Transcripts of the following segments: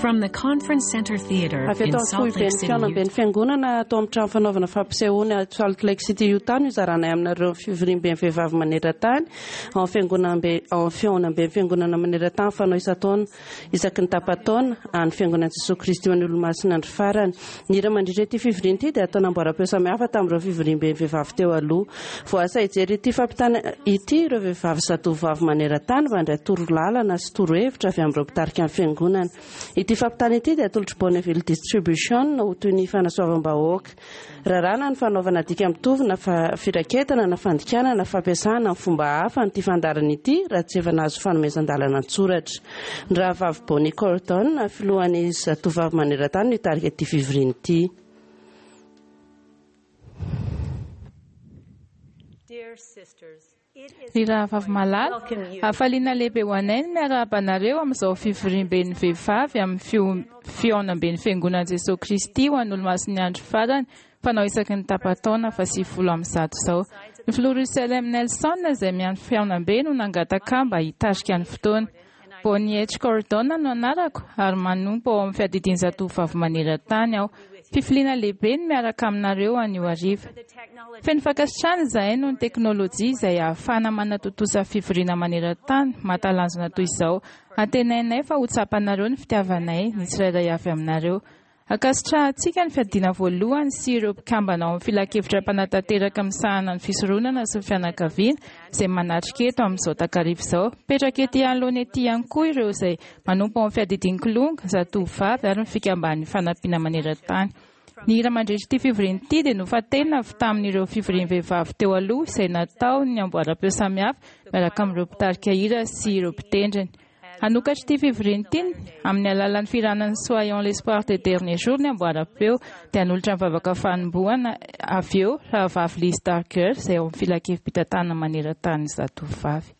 From the Conference Center Theater Avy in eto amin'ny Salt Lake foiben'ny City, fihaonamben'ny Utah. Fiangonana ato amin'ny trano fanaovana fampisehoana ato Salt Lake City, Utah no izaranay aminareo ny fivoriamben'ny vehivavy maneran-tany ao amin'ny fiangonambe ao amin'ny fihaonamben'ny Fiangonana maneran-tany fanao isan-taona isaky ny tapa-taona an'ny Fiangonan'i Jesoa Kristy ho an'ny Olomasina Andro Farany. Ny hira mandritra ity fivoriana ity dia atao namboaram-peo samihafa tamin'ireo fivoriamben'ny vehivavy teo aloha. Voaasa hijery ity fampitana ity ireo vehivavy zatovovavy maneran-tany mba handray torolalana sy torohevitra avy amin'ireo mpitarika ny Fiangonana. Ity fampitana ity dia atolotr'i Bonneville Distribution ho toy ny fanasoavam-bahoaka. Raràna ny fanaovana dika mitovy na firaketana na fandikana na fampiasana amin'ny fomba hafa an'ity fandaharana ity raha tsy efa nahazo fanomezan-dalana an-tsoratra. Ny Rahavavy Bonnie Cordon, filohan'ny Zatovovavy maneran-tany no hitarika ity fivoriana ity. Ry rahavavy malala, hafaliana lehibe ho anay ny miarahaba anareo amin'izao fivoriamben'ny vehivavy amin'ny fihaonamben'ny Fiangonan'i Jesoa Kristy ho an'ny Olomasin'ny Andro Farany fanao isaky ny tapa-taona faha-190 izao. Ny Filoha Russell M. Nelson izay miandry fihaonambe no nangataka ahy mba hitarika ny fotoana. Bonnie H. Cordon no anarako ary manompo ao amin'ny fiadidian'ny zatovovavy maneran-tany aho. Fifaliana lehibe ny miaraka aminareo anio hariva. Feno fankasitrahana izahay noho ny teknolojia izay ahafahana manatontosa fivoriana maneran-tany mahatalanjona toy izao. Antenainay fa ho tsapanareo ny fitiavanay ny tsirairay avy aminareo. Ankasitrahantsika ny fiadiana voalohany sy ireo mpikambana ao amin'ny Filankevitra mpanatanteraka misahana ny fisoronana sy ny fianakaviana izay manatrika eto amin'izao takariva izao. Mipetraka ety anoloana ety ihany koa ireo izay manompo ao amin'ny fiadidian'ny Kilonga, zatovovavy ary ny fikamban'ny fanampiana maneran-tany. Ny hira mandritra ity fivoriana ity dia nofantenina avy tamin'ireo fivorian'ny vehivavy teo aloha izay natao ny amboaram-peo samihafa miaraka amin'ireo mpitarika hira sy ireo mpitendriny. Hanokatra ity fivoriana ity amin'ny alalan'ny fihiranan'ny Soyons l'espoir des derniers jours ny amboaram-peo dia hanolotra ny vavaka fanombohana avy eo Rahavavy Liz Darger izay ao amin'ny Filankevi-pitantanana maneran-tanin'ny zatovovavy.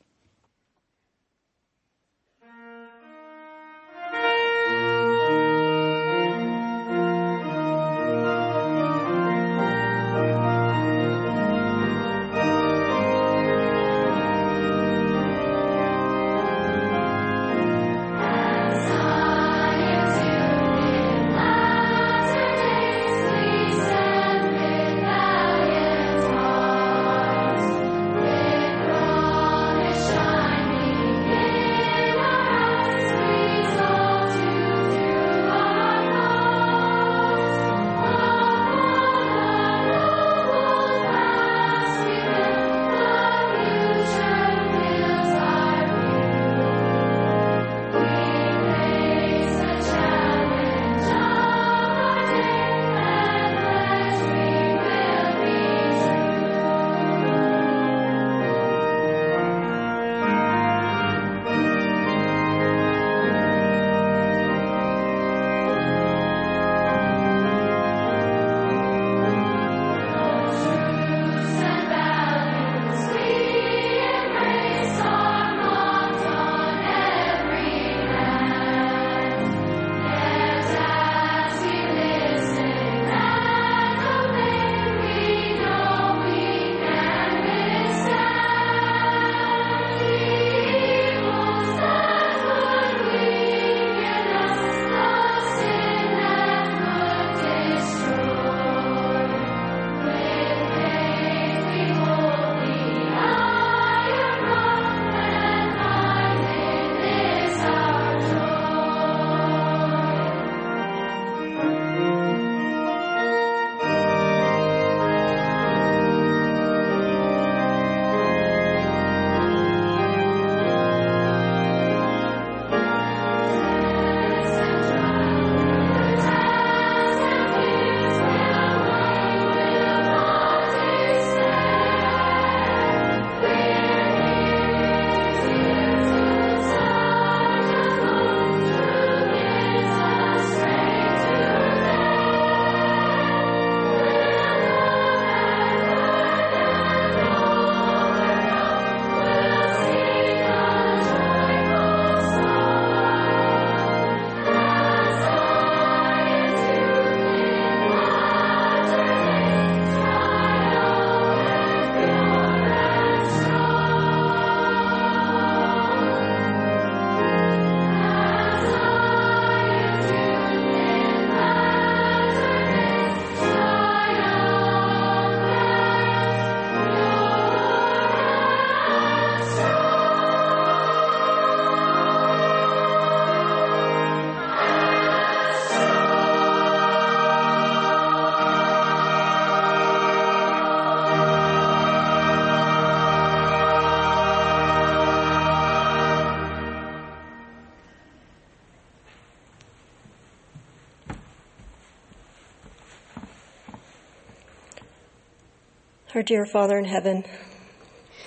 Our dear Father in heaven,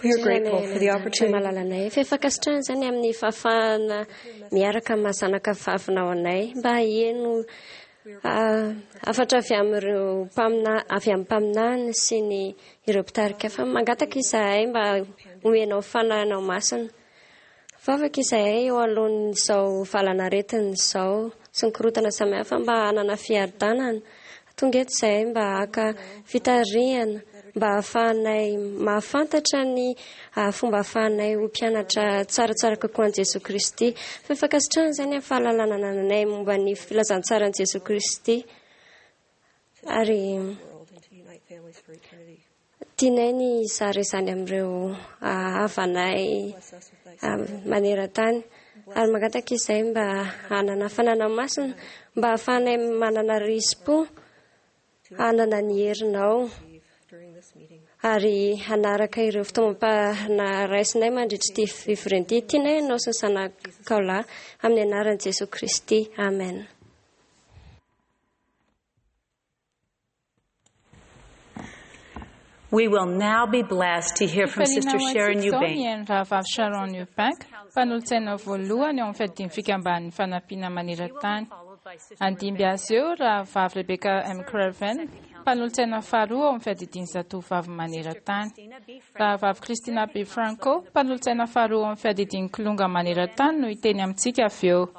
we are grateful for the opportunity malalanay fa fankasitrahana izany amin'ny fahafahana miaraka amin'ny zanaka vavinao anay mba heno hafatra avy amin'ireo mpamina avy amin'ny mpaminany sy ny ireo mpitarika fa mangataka izahay mba homenao fanahinao masina. Vavaka izahay eo alohan'izao valanaretina izao sy ny korontana samihafa mba hanana fiadanana. Tonga eto izahay mba haka fitarihana mba hahafahanay mahafantatra ny fomba ahafahanay ho mpianatra tsaratsara kokoa an'i Jesoa Kristy. Fa fankasitrahana izany amin'ny fahalalana anananay momba ny filazantsaran'i Jesoa Kristy. Ary tianay ny hizara izany amin'ireo havanay maneran-tany. Ary mangataka izahay mba hanana fanana masina, mba hahafahanay manana risi-po hanana ny herinao ary hanaraka ireo fitaomam-panahy raisinay mandritra ity fivoriana ity. Tianay ianao sy ny zanakao lahy amin'ny anaran'i Jesoa Kristy. Amen. We will now be blessed to hear from Sister Fifaliana ho Sharon antsika izao Eubank. ny haino rahavavy Sharon Eubank, mpanolotsaina voalohany eo amin'ny fiadian'ny fikamban'ny fanampiana maneran-tany. Andimby azy eo rahavavy Rebecca M. Craven, mpanolotsaina faharoa ao amin'ny fiadidian'ny zatovavy maneran-tany. Rahavavy Christina B. Franco, mpanolotsaina faharoa ao amin'ny fiadidian'ny kilonga maneran-tany no hiteny amintsika avy eo.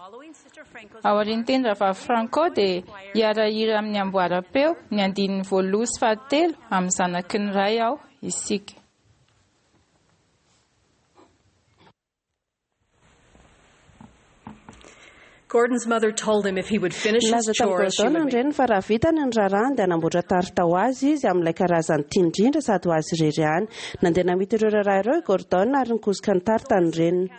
Aorian'ny teny rahavavy Franco dia hiara-hira amin'ny amboaram-peo ny andininy voalohany sy fahatelo amin'ny zanaky ny ray aho isika. Gordon's mother told him if he would finish his Nilaza tamin'i chores, she Gordon would ny make reniny fa raha vitany ny raharahany dia hanamboatra tarta ho azy izy amin'ilay karazany tiany indrindra sady ho azy irery ihany. Nandeha namita ireo raharaha ireo i Gordon ary nikosoka ny tarta ny reniny.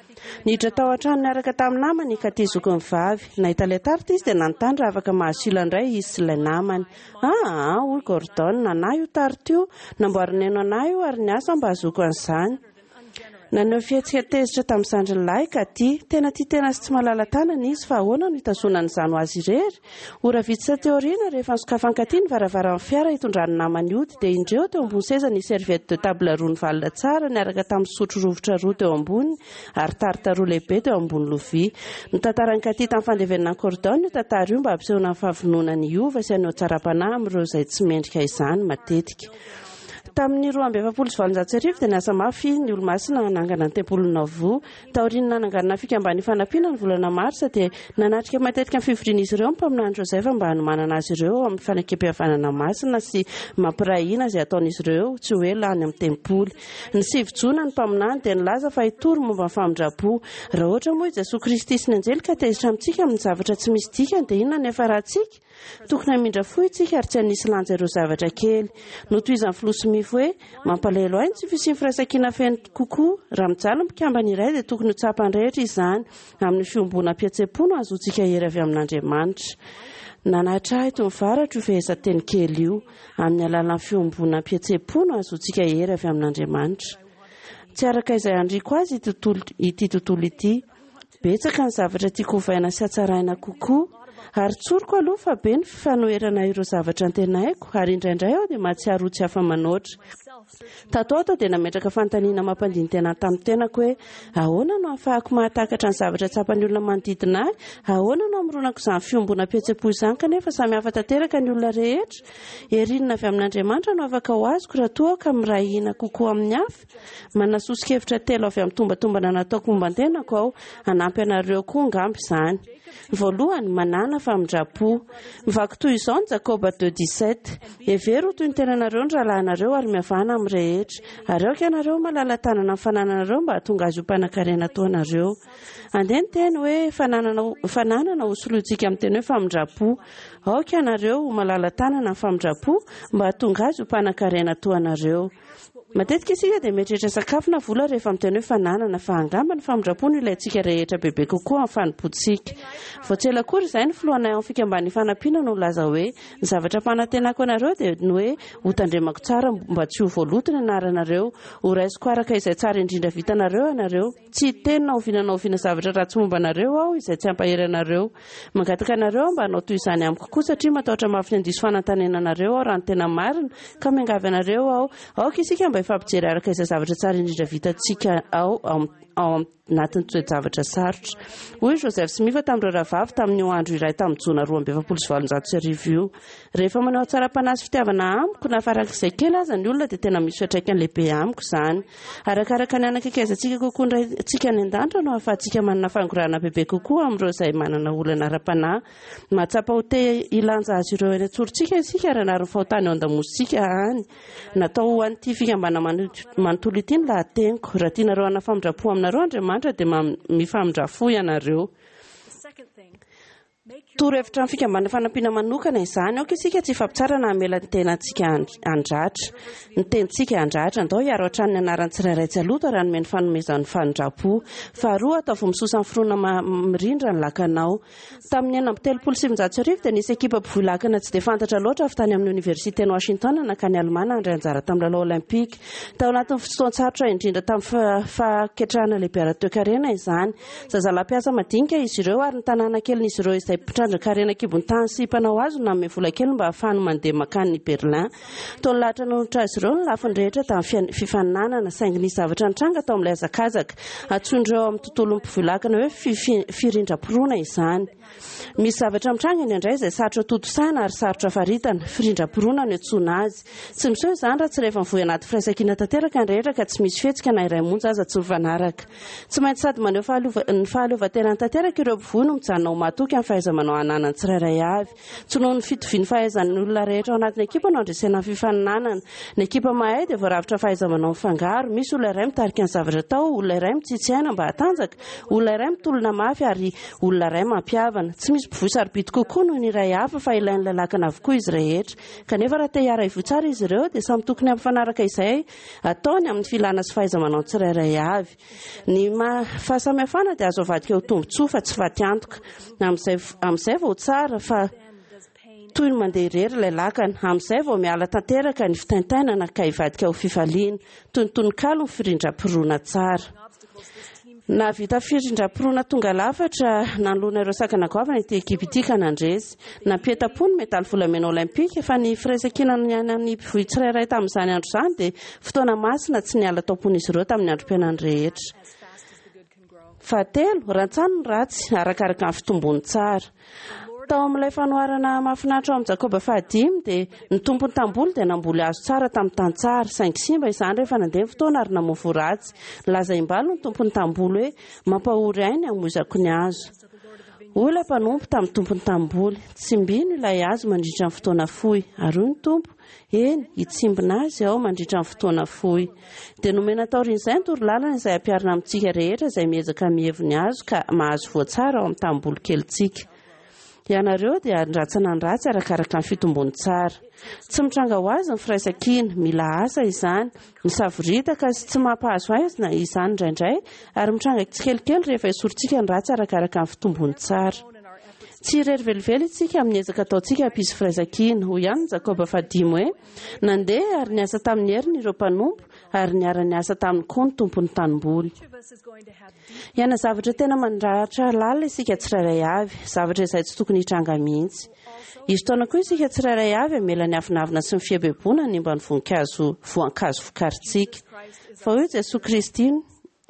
Niditra tao an-trano niaraka tamin'ny namany i Katy zokiny vavy. Nahita ilay tarta izy dia nanontany raha afaka mahazo sila indray izy sy ilay namany. Ah, hoy Gordon, nanahy io tarta io. Namboarin'i Neno anahy io ary niasa mba hahazoako an'izany. Naneho fihetsika tezitra tamin'ny zandriny lahy Katy. Tena tia tena sy tsy malala-tanana izy fa ahoana no hitazonany izany ho azy irery? Ora vitsy taty aoriana, rehefa nosokafan'i Katy ny varavaran'ny fiara hitondrany namany hody, dia indreo teo ambony seza nisy serviette de table roa nivalona tsara niaraka tamin'ny sotro rovitra roa teo amboniny ary tarte roa lehibe teo ambony lovia. Notantaran'i Katy tamin'ny fandevenana an'i Cordon io tantara io mba hampisehoana ny fahavononany hiova sy haneho hatsaram-panahy amin'ireo izay tsy mendrika izany matetika. Tamin'ny 1842 dia niasa mafy ny Olomasina hanangana ny tempolin'i Nauvoo. Taorian'ny nananganana ny Fikamban'ny Fanampiana ny volana Marsa dia nanatrika matetika ny fivorian'izy ireo ny mpaminany Joseph mba hanomanana azy ireo ao amin'ny fanekempihavanana masina sy mampiray hina izay hataon'izy ireo tsy ho ela any amin'ny tempoly. Ny 9 Jona ny mpaminany dia nilaza fa hitory momba ny famindram-po. Raha ohatra moa i Jesoa Kristy sy ny anjely ka tezitra amintsika amin'ny zavatra tsy misy dikany dia inona no hiafarantsika? Tokony hamindra fo isika ary tsy hanisy lanja ireo zavatra kely. Notohizan'ny filoha Smith hoe, Mampalahelo ahy ny tsy fisian'ny firaisankina feno kokoa. Raha mijaly ny mpikambana iray dia tokony ho tsapan'ny rehetra izany. Amin'ny fiombonam-pihetseham-po no ahazoantsika hery avy amin'Andriamanitra. Nanahatra ahy toy ny varatra io fehezanteny kely io. Amin'ny alalan'ny fiombonam-pihetseham-po no ahazoantsika hery avy amin'Andriamanitra. Tsy araka izay andriako azy ity tontolo ity. Betsaka ny zavatra tiako hovaina sy hatsaraina kokoa. Ary tsoriko aloha fa be ny fanoherana ireo zavatra antenaiko, ary indraindray aho dia mahatsiaro ho tsy afa-manoatra. Tato ato aho dia nametraka fanontaniana mampandini-tena tamin'ny tenako hoe, Ahoana no ahafahako mahatakatra ny zavatra tsapan'ny olona manodidina ahy? Ahoana no hamoronako izany fiombonam-pihetseham-po izany kanefa samy hafa tanteraka ny olona rehetra? Hery inona avy amin'Andriamanitra no afaka ho azoko raha toa aho ka miray hina kokoa amin'ny hafa? Manana soso-kevitra telo avy amin'ny tombatombana nataoko momba ny tenako aho. Hanampy anareo koa angamba izany. Voalohany, manàna famindram-po. Mivaky toy izao ny Jakoba 2,17, Hevero ho toy ny tenanareo ny rahalahinareo ary mihavàna amin'ny rehetra. Ary aoka ianareo ho malala-tanana amin'ny fanananareo mba hahatonga azy ho mpanankarena toa anareo. Andeha ny teny hoe fananana fananana ho solointsika amin'ny teny hoe famindram-po. Aoka ianareo ho malala-tanana amin'ny famindram-po mba hahatonga azy ho mpanankarena toa anareo. Matetika isika dia mieritreritra sakafo na vola rehefa miteny hoe fananana, fa angamba ny famindram-po no ilaintsika rehetra bebe kokoa amin'ny fanompoantsika. Vao tsy ela akory izay ny filohanay ao amin'ny Fikamban'ny Ifanampiana no nilaza hoe, Ny zavatra ampanantenako anareo dia ny hoe hotandremako tsara mba tsy ho voaloto ny anaranareo. Horaisiko araka izay tsara indrindra vitanareo ianareo. Tsy hiteny na oviana na oviana zavatra ratsy momba anareo aho izay tsy hampahery anareo. Mangataka anareo aho mba hanao toy izany amiko koa satria matahotra mafy ny handiso fanantanena anareo aho raha ny tena marina, ka miangavy anareo aho, aoka isika mba hifampijery araka izay zavatra tsara indrindra vitantsika ao ao anatin'ny toe-javatra sarotra. Hoy i Joseph Smith tamin'ireo rahavavy tamin'io andro iray tamin'ny Jona 1842 io, Rehefa maneho hatsaram-panahy sy fitiavana amiko na farak'izay kely aza ny olona dia tena misy fiantraikany lehibe amiko izany. Arakaraka ny hanakaikezantsika kokoa ny Raintsika any An-danitra no ahafahantsika manana fangorahana bebe kokoa amin'ireo izay manana olana ara-panahy. Mahatsapa ho te hilanja azy ireo eny an-tsorontsika isika ary hanary ny fahotany eo an-damosintsika any. Natao ho an'ity fikambanana manontolo ity ny lahateniko. Raha tianareo hanana famindram-po aminareo Andriamanitra dia mifamindrà fo ianareo. Torohevitra amin'ny fikambanana fanampiana manokana izany. Aoka isika tsy hifampitsara na hamela ny tenantsika handratra. Ny tenintsika handratra. Andao hiaro hatrany ny anaran'ny tsirairay tsy haloto ary hanome ny fanomezan'ny famindram-po. Faharoa, ataovy misosa amin'ny fironana mirindra ny lakanao. Tamin'ny 1936 dia nisy ekipa mpivoy lakana tsy dia fantatra loatra avy tany amin'ny Oniversiten'i Washington nankany Alemana handray anjara tamin'ny lalao Olympique. Tao anatin'ny fotoan-tsarotra indrindra tamin'ny fahaketrahana lehibe ara-toekarena izany. Zazalahy mpiasa madinika izy ireo ary ny tanàna kelin'izy ireo izay mpitrandraka harena an-kibon-tany sy mpanao hazo no nanome vola kely mba hahafahany mandeha mankany Berlin. Toa nilahatra nanolotra azy ireo ny lafiny rehetra tamin'ny fifaninanana, saingy nisy zavatra nitranga tao amin'ilay hazakazaka. Antsoin'ireo ao amin'ny tontolon'ny mpivoy-lakana hoe firindram-poroana izany. Misy zavatra mitranga indraindray izay sarotra tontosaina ary sarotra faritana. Firindram-poroana no iantsoana azy. Tsy miseho izany raha tsy rehefa mivoy anaty firaisankina tanteraka ny rehetra ka tsy misy fihetsika na iray monja aza tsy mifanaraka. Tsy maintsy sady maneho ny fahaleovantenany tanteraka ireo mpivoy no mijanona ho mahatoky amin'ny fahaiza-manao ananany tsirairay avy. Tsy noho ny fitovian'ny fahaizan'ny olona rehetra ao anatin'ny ekipa no andresena ny fifaninanana. Ny ekipa mahay dia voarafitra fahaiza-manao mifangaro. Misy olona iray mitarika ny zavatra atao, olona iray mitsitsy aina mba hatanjaka, olona iray mitolona mafy ary olona iray mampihavana. Tsy misy mpivoy sarobidy kokoa noho ny iray hafa fa ilain'ilay lakana avokoa izy rehetra. Kanefa raha te hiara-hivoy tsara izy ireo dia samy tokony hampifanaraka izay ataony amin'ny filana sy fahaiza-manao tsirairay avy. Ny fahasamihafana dia azo avadika ho tombontsoa fa tsy fatiantoka. Amin'izay amin'izay vao tsara fa toy ny mandeha irery ilay lakana. Amin'izay vao miala tanteraka ny fitaintainana ka hivadika ho fifaliana. Toy ny tononkalo ny firindram-pirona tsara. Nahavita firindram-pirona tonga lafatra nanoloana ireo sakana goavana ity ekipa ity ka nandresy. Nampientam-po ny medaly volamena Olympika fa ny firaisankina niainan'ny mpivoy tsirairay tamin'izany andro izany dia fotoana masina tsy niala tao am-pon'izy ireo tamin'ny androm-piainany rehetra. Fahatelo, rantsano ny ratsy arakaraka ny fitombon'ny tsara. Tao amin'ilay fanoharana mahafinaritra ao amin'ny Jakoba fahadimy dia ny tompon'ny tamboly dia namboly hazo tsara tamin'ny tany tsara, saingy simba izany rehefa nandeha ny fotoana ary namoa voa ratsy. Nilaza imbalo ny tompon'ny tamboly hoe, Mampahory ahy ny hamoizako ny hazo. Hoy ilay mpanompo tamin'ny tompon'ny tamboly, Tsimbino ilay hazo mandritra ny fotoana fohy. Ary hoy ny tompo, Eny, hitsimbina azy aho mandritra ny fotoana fohy. Dia nomena taorian'izay ny torolalana izay ampiharina amintsika rehetra izay miezaka mihevo ny hazo ka mahazo voa tsara ao amin'ny tanimboly kelintsika. Ianareo dia handratsana ny ratsy arakaraka ny fitombony tsara. Tsy mitranga ho azy ny firaisankina, mila asa izany, misavoritaka sy tsy mampahazo aizina izany indraindray ary mitranga tsikelikely rehefa esorintsika ny ratsy arakaraka ny fitombony tsara. Tsy irery velively isika amin'ny ezaka ataontsika hampisy firaisankina. Hoy ihany ny Jakoba fahadimy hoe, Nandeha ary niasa tamin'ny heriny ireo mpanompo, ary niara-niasa taminy koa ny tompon'ny tanimboly. Hiaina zavatra tena mandratra lalina isika tsirairay avy, zavatra izay tsy tokony hitranga mihitsy. Hisy taona koa isika tsirairay avy hamela ny avonavona sy ny fieboeboana hanimba ny voninkazo voankazo vokarintsika. Fa hoy Jesoa Kristy,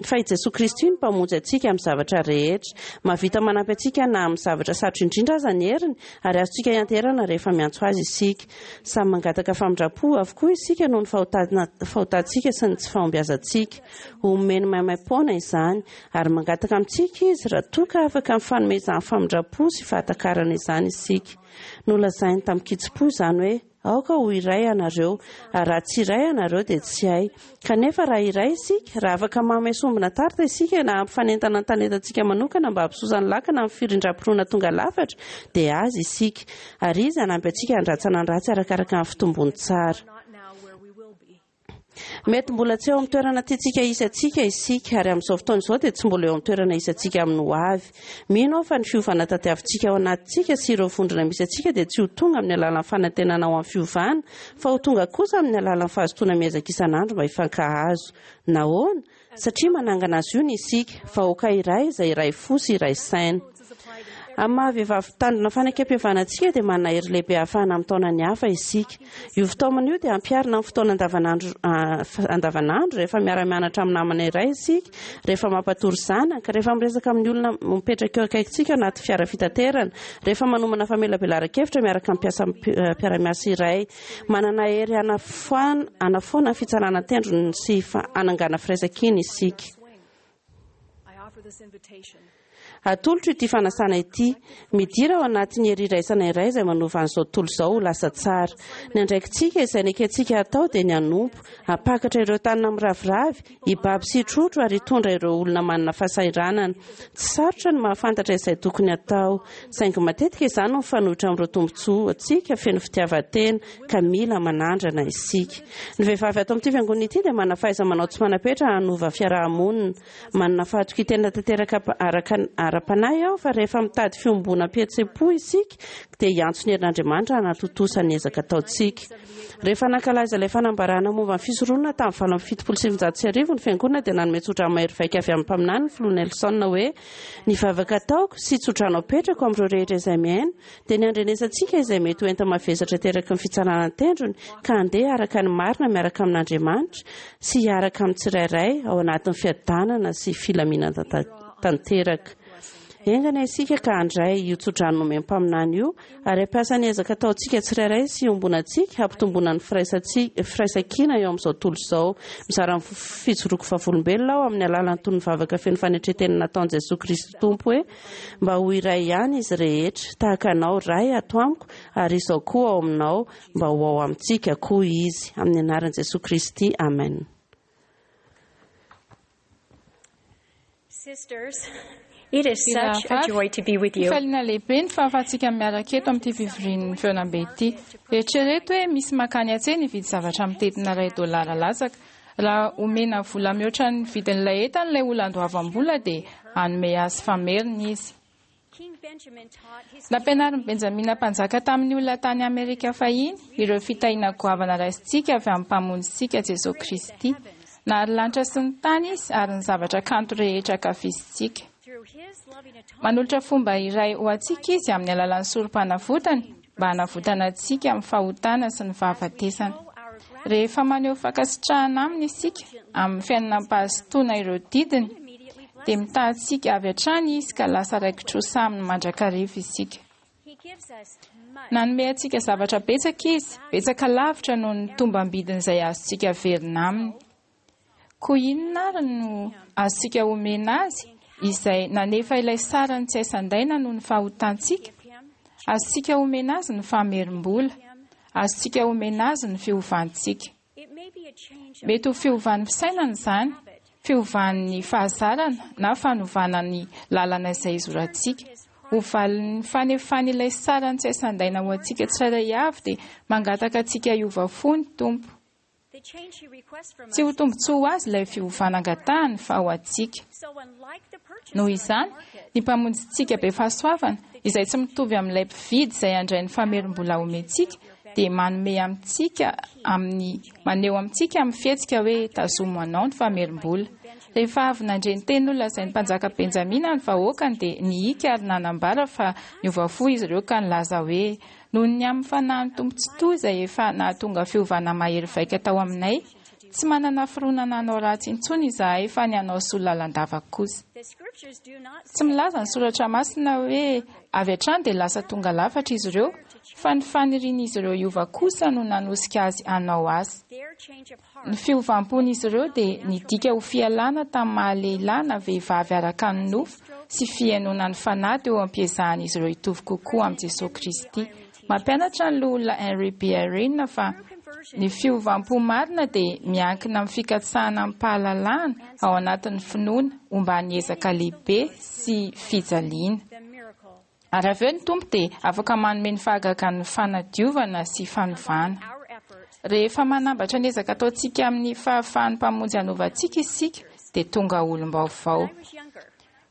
Fa i Jesoa Kristy no Mpamonjy antsika amin'ny zavatra rehetra. Mahavita manampy antsika na amin'ny zavatra sarotra indrindra aza ny heriny, ary azontsika ianteherana rehefa miantso Azy isika. Samy mangataka famindram-po avokoa isika noho ny fahotana fahotantsika sy ny tsy fahombiazantsika. Omeny maimaim-poana izany, ary mangataka amintsika Izy raha toa ka afaka mifanome izany famindram-po sy fahatakarana izany isika. Nolazainy tamin-kitsim-po izany hoe. Aoka ho iray ianareo, ary raha tsy iray ianareo dia tsy hay. Kanefa raha iray isika, raha afaka manome sombina tarte isika na hampifanentana ny talentantsika manokana mba hampisosa ny lakana amin'ny firindram-pinoana tonga lafatra, dia Azy isika. Ary Izy hanampy antsika handratsana ny ratsy arakaraka ny fitombony tsara. Mety mbola tsy eo amin'ny toerana tiantsika hisy antsika isika, ary amin'izao fotoana izao dia tsy mbola eo amin'ny toerana hisy antsika amin'ny ho avy. Mino aho fa ny fiovana tadiavintsika ao anatintsika sy ireo vondrona misy antsika dia tsy ho tonga amin'ny alalan'ny fanantenana ho amin'ny fiovana, fa ho tonga kosa amin'ny alalan'ny fahazotoana miezaka isan'andro mba hifankahazo. Nahoana? Satria manangana azy io ny isika, vahoaka iray izay iray fo sy iray saina. Amin'ny maha vehivavy mpitandrina fanekempihavanana antsika dia manana hery lehibe ahafahana mitaona ny hafa isika. Io fitaomana io dia ampiharina amin'ny fotoana andavanandro andavanandro rehefa miara-mianatra amin'ny namana iray isika, rehefa mampatory zanaka, rehefa miresaka amin'ny olona mipetraka eo akaikintsika anaty fiara fitaterana, rehefa manomana famelabelaran-kevitra miaraka amin'ny mpiasa mpiara-miasa iray. Manana hery hanafoana hanafoana ny fitsarana an-tendrony sy hanangana firaisankina isika. Atolotro ity fanasana ity, midira ao anatin'ny hery iraisana iray izay manova an'izao tontolo izao ho lasa tsara. Ny andraikitsika izay nekentsika hatao dia ny hanompo, hampakatra ireo tanana miraviravy, hibaby sy hitrotro ary hitondra ireo olona manana fahasahiranana. Tsy sarotra ny mahafantatra izay tokony hatao, saingy matetika izany no mifanohitra amin'ireo tombontsoantsika feno fitiavan-tena, ka mila manandrana isika. Ny vehivavy ato amin'ity fiangonana ity dia manana fahaiza-manao tsy manam-petra hanova fiaraha-monina. Manana fahatokian-tena tanteraka araka ara-panahy aho fa rehefa mitady fiombonam-pihetseham-po isika dia hiantso ny herin'Andriamanitra hanatontosa ny ezaka ataontsika. Rehefa nankalaza ilay fanambarana momba ny fisoronana tamin'ny 1978 ny Fiangonana dia nanome tsodrano mahery vaika avy amin'ny mpaminany ny Filoha Nelson hoe, Ny vavaka ataoko sy tsodrano apetrako amin'ireo rehetra izay mihaino dia ny handrenesantsika izay mety ho enta-mavesatra ateraky ny fitsarana an-tendrony ka handeha araka ny marina miaraka amin'Andriamanitra sy hiaraka amin'ny tsirairay ao anatin'ny fiadanana sy filaminana tanteraka. Enga anie isika ka handray io tsodrano nomen'ny mpaminany io ary hampiasa ny ezaka ataontsika tsirairay sy iombonantsika hampitomboana ny firaisankina eo amin'izao tontolo izao. Mizara ny fijoroako vavolombelona aho amin'ny alalan'ny tonon'ny vavaka feno fanetren-tena nataon'i Jesoa Kristy Tompo hoe, Mba ho iray ihany izy rehetra, tahaka Anao, Ray, ato amiko, ary Izaho koa ao aminao, mba ho ao amintsika koa izy. Amin'ny anaran'i Jesoa Kristy, amen. Sisters, it is such a joy to be with you. Fifaliana lehibe ny fahafahantsika miaraka eto amin'ity fivorian'ny fihaonambe ity. Eritrereto hoe misy mankany an-tsena hividy zavatra mitentina iray dolara latsaka. Raha omena vola mihoatra ny vidin'ilay entana ilay olona andoavam-bola dia hanome azy fameriny izy. Nampianarin'i Benjamina Mpanjaka tamin'ny olona tany Amerika fahiny ireo fitahiana goavana raisintsika avy amin'ny Mpamonjintsika Jesoa Kristy. Nahary lanitra sy ny tany Izy ary ny zavatra kanto rehetra ankafizintsika. Manolotra fomba iray ho antsika Izy amin'ny alalan'ny Sorompanavotany mba hanavotana antsika amin'ny fahotana sy ny fahafatesana. Rehefa maneho fankasitrahana Aminy isika amin'ny fiainana am-pahazotoana ireo didiny, dia mitaha antsika avy hatrany Izy ka lasa raiki-trosa Aminy mandrakariva isika. Nanome antsika zavatra betsaka Izy, betsaka lavitra noho ny tombam-bidin'izay azontsika averina Aminy. Koa inona àry no azontsika omena azy, izay nanefa ilay sarany tsy hay sandaina noho ny fahotantsika? Azontsika omena azy ny famerim-bola. Azontsika omena azy ny fiovantsika. Mety ho fiovan'ny fisainana izany, fiovan'ny fahazarana na fanovana ny lalana izay izorantsika. Ho valin'ny fanefany ilay sarany tsy hay sandaina ho antsika tsirairay avy dia mangataka antsika hiova fo ny Tompo. Tsy ho tombontsoa ho azy ilay fiovana angatahany fa ho antsika. Noho izany, ny Mpamonjintsika be fahasoavana, izay tsy mitovy amin'ilay mpividy izay handray ny famerim-bola omentsika, dia manome amintsika amin'ny maneho amintsika amin'ny fihetsika hoe tazomy ho anao ny famerim-bola. Rehefa avy nandre ny teny nolazain'ny mpanjaka Benjamina ny vahoakany dia nihika ary nanambara fa niova fo izy ireo ka nilaza hoe, Noho ny amin'ny fanahin'ny Tompo Tsitoha izay efa nahatonga fiovana mahery vaika tao aminay, tsy manana fironana hanao ratsy intsony izahay fa ny hanao soa lalandava kosa. Tsy milaza ny Soratra Masina hoe avy hatrany dia lasa tonga lafatra izy ireo, fa ny fanirian'izy ireo hiova kosa no nanosika azy hanao asa. Ny fiovam-pon'izy ireo dia nidika ho fialana tamin'ny maha-lehilahy na vehivavy araka ny nofo sy fihainoana ny fanahy teo am-piezahan'izy ireo hitovy kokoa amin'i Jesoa Kristy. Mampianatra ny Loholona Henry B. Eyring fa ny fiovam-po marina dia miankina amin'ny fikatsahana amim-pahalalahana ao anatin'ny finoana omban'ny ezaka lehibe sy fijaliana. Ary avy eo ny Tompo dia afaka manome ny fahagagan'ny fanadiovana sy fanovana. Rehefa manambatra ny ezaka ataontsika amin'ny fahafahan'ny Mpamonjy hanova antsika isika, dia tonga olom-baovao.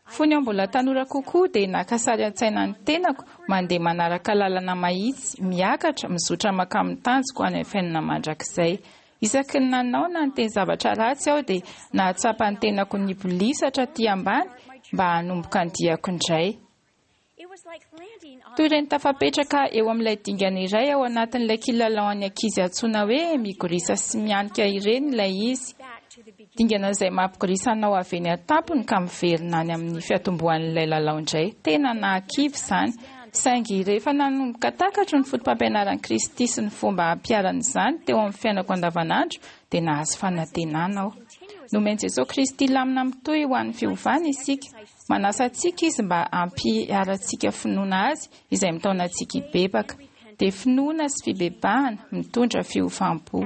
Fony aho mbola tanora kokoa dia naka sary an-tsaina ny tenako mandeha manaraka lalana mahitsy, miakatra, mizotra mankamin'ny tanjoko any amin'ny fiainana mandrakizay. Isaky ny nanao na niteny zavatra ratsy aho dia nahatsapa ny tenako nibolisatra aty ambany mba hanomboka ny diako indray. Toy ireny tafapetraka eo amin'ilay dingana iray ao anatin'ilay kilalao an'ny ankizy antsoina hoe migorisa sy mianika ireny ilay izy. Dingana izay mampigorisa anao avy eny an-tampony ka miverina any amin'ny fiatombohan'ilay lalao indray. Tena nahakivy izany. Saingy rehefa nanomboka takatro ny fotopampianaran'i Kristy sy ny fomba hampiharana izany teo amin'ny fiainako andavanandro dia nahazo fanantenana aho. Nomen'i Jesoa Kristy lamina mitohy ho an'ny fiovana isika. Manasa antsika Izy mba hampiharantsika finoana Azy izay mitaona antsika hibebaka. Dia finoana sy fibebahana mitondra fiovam-po.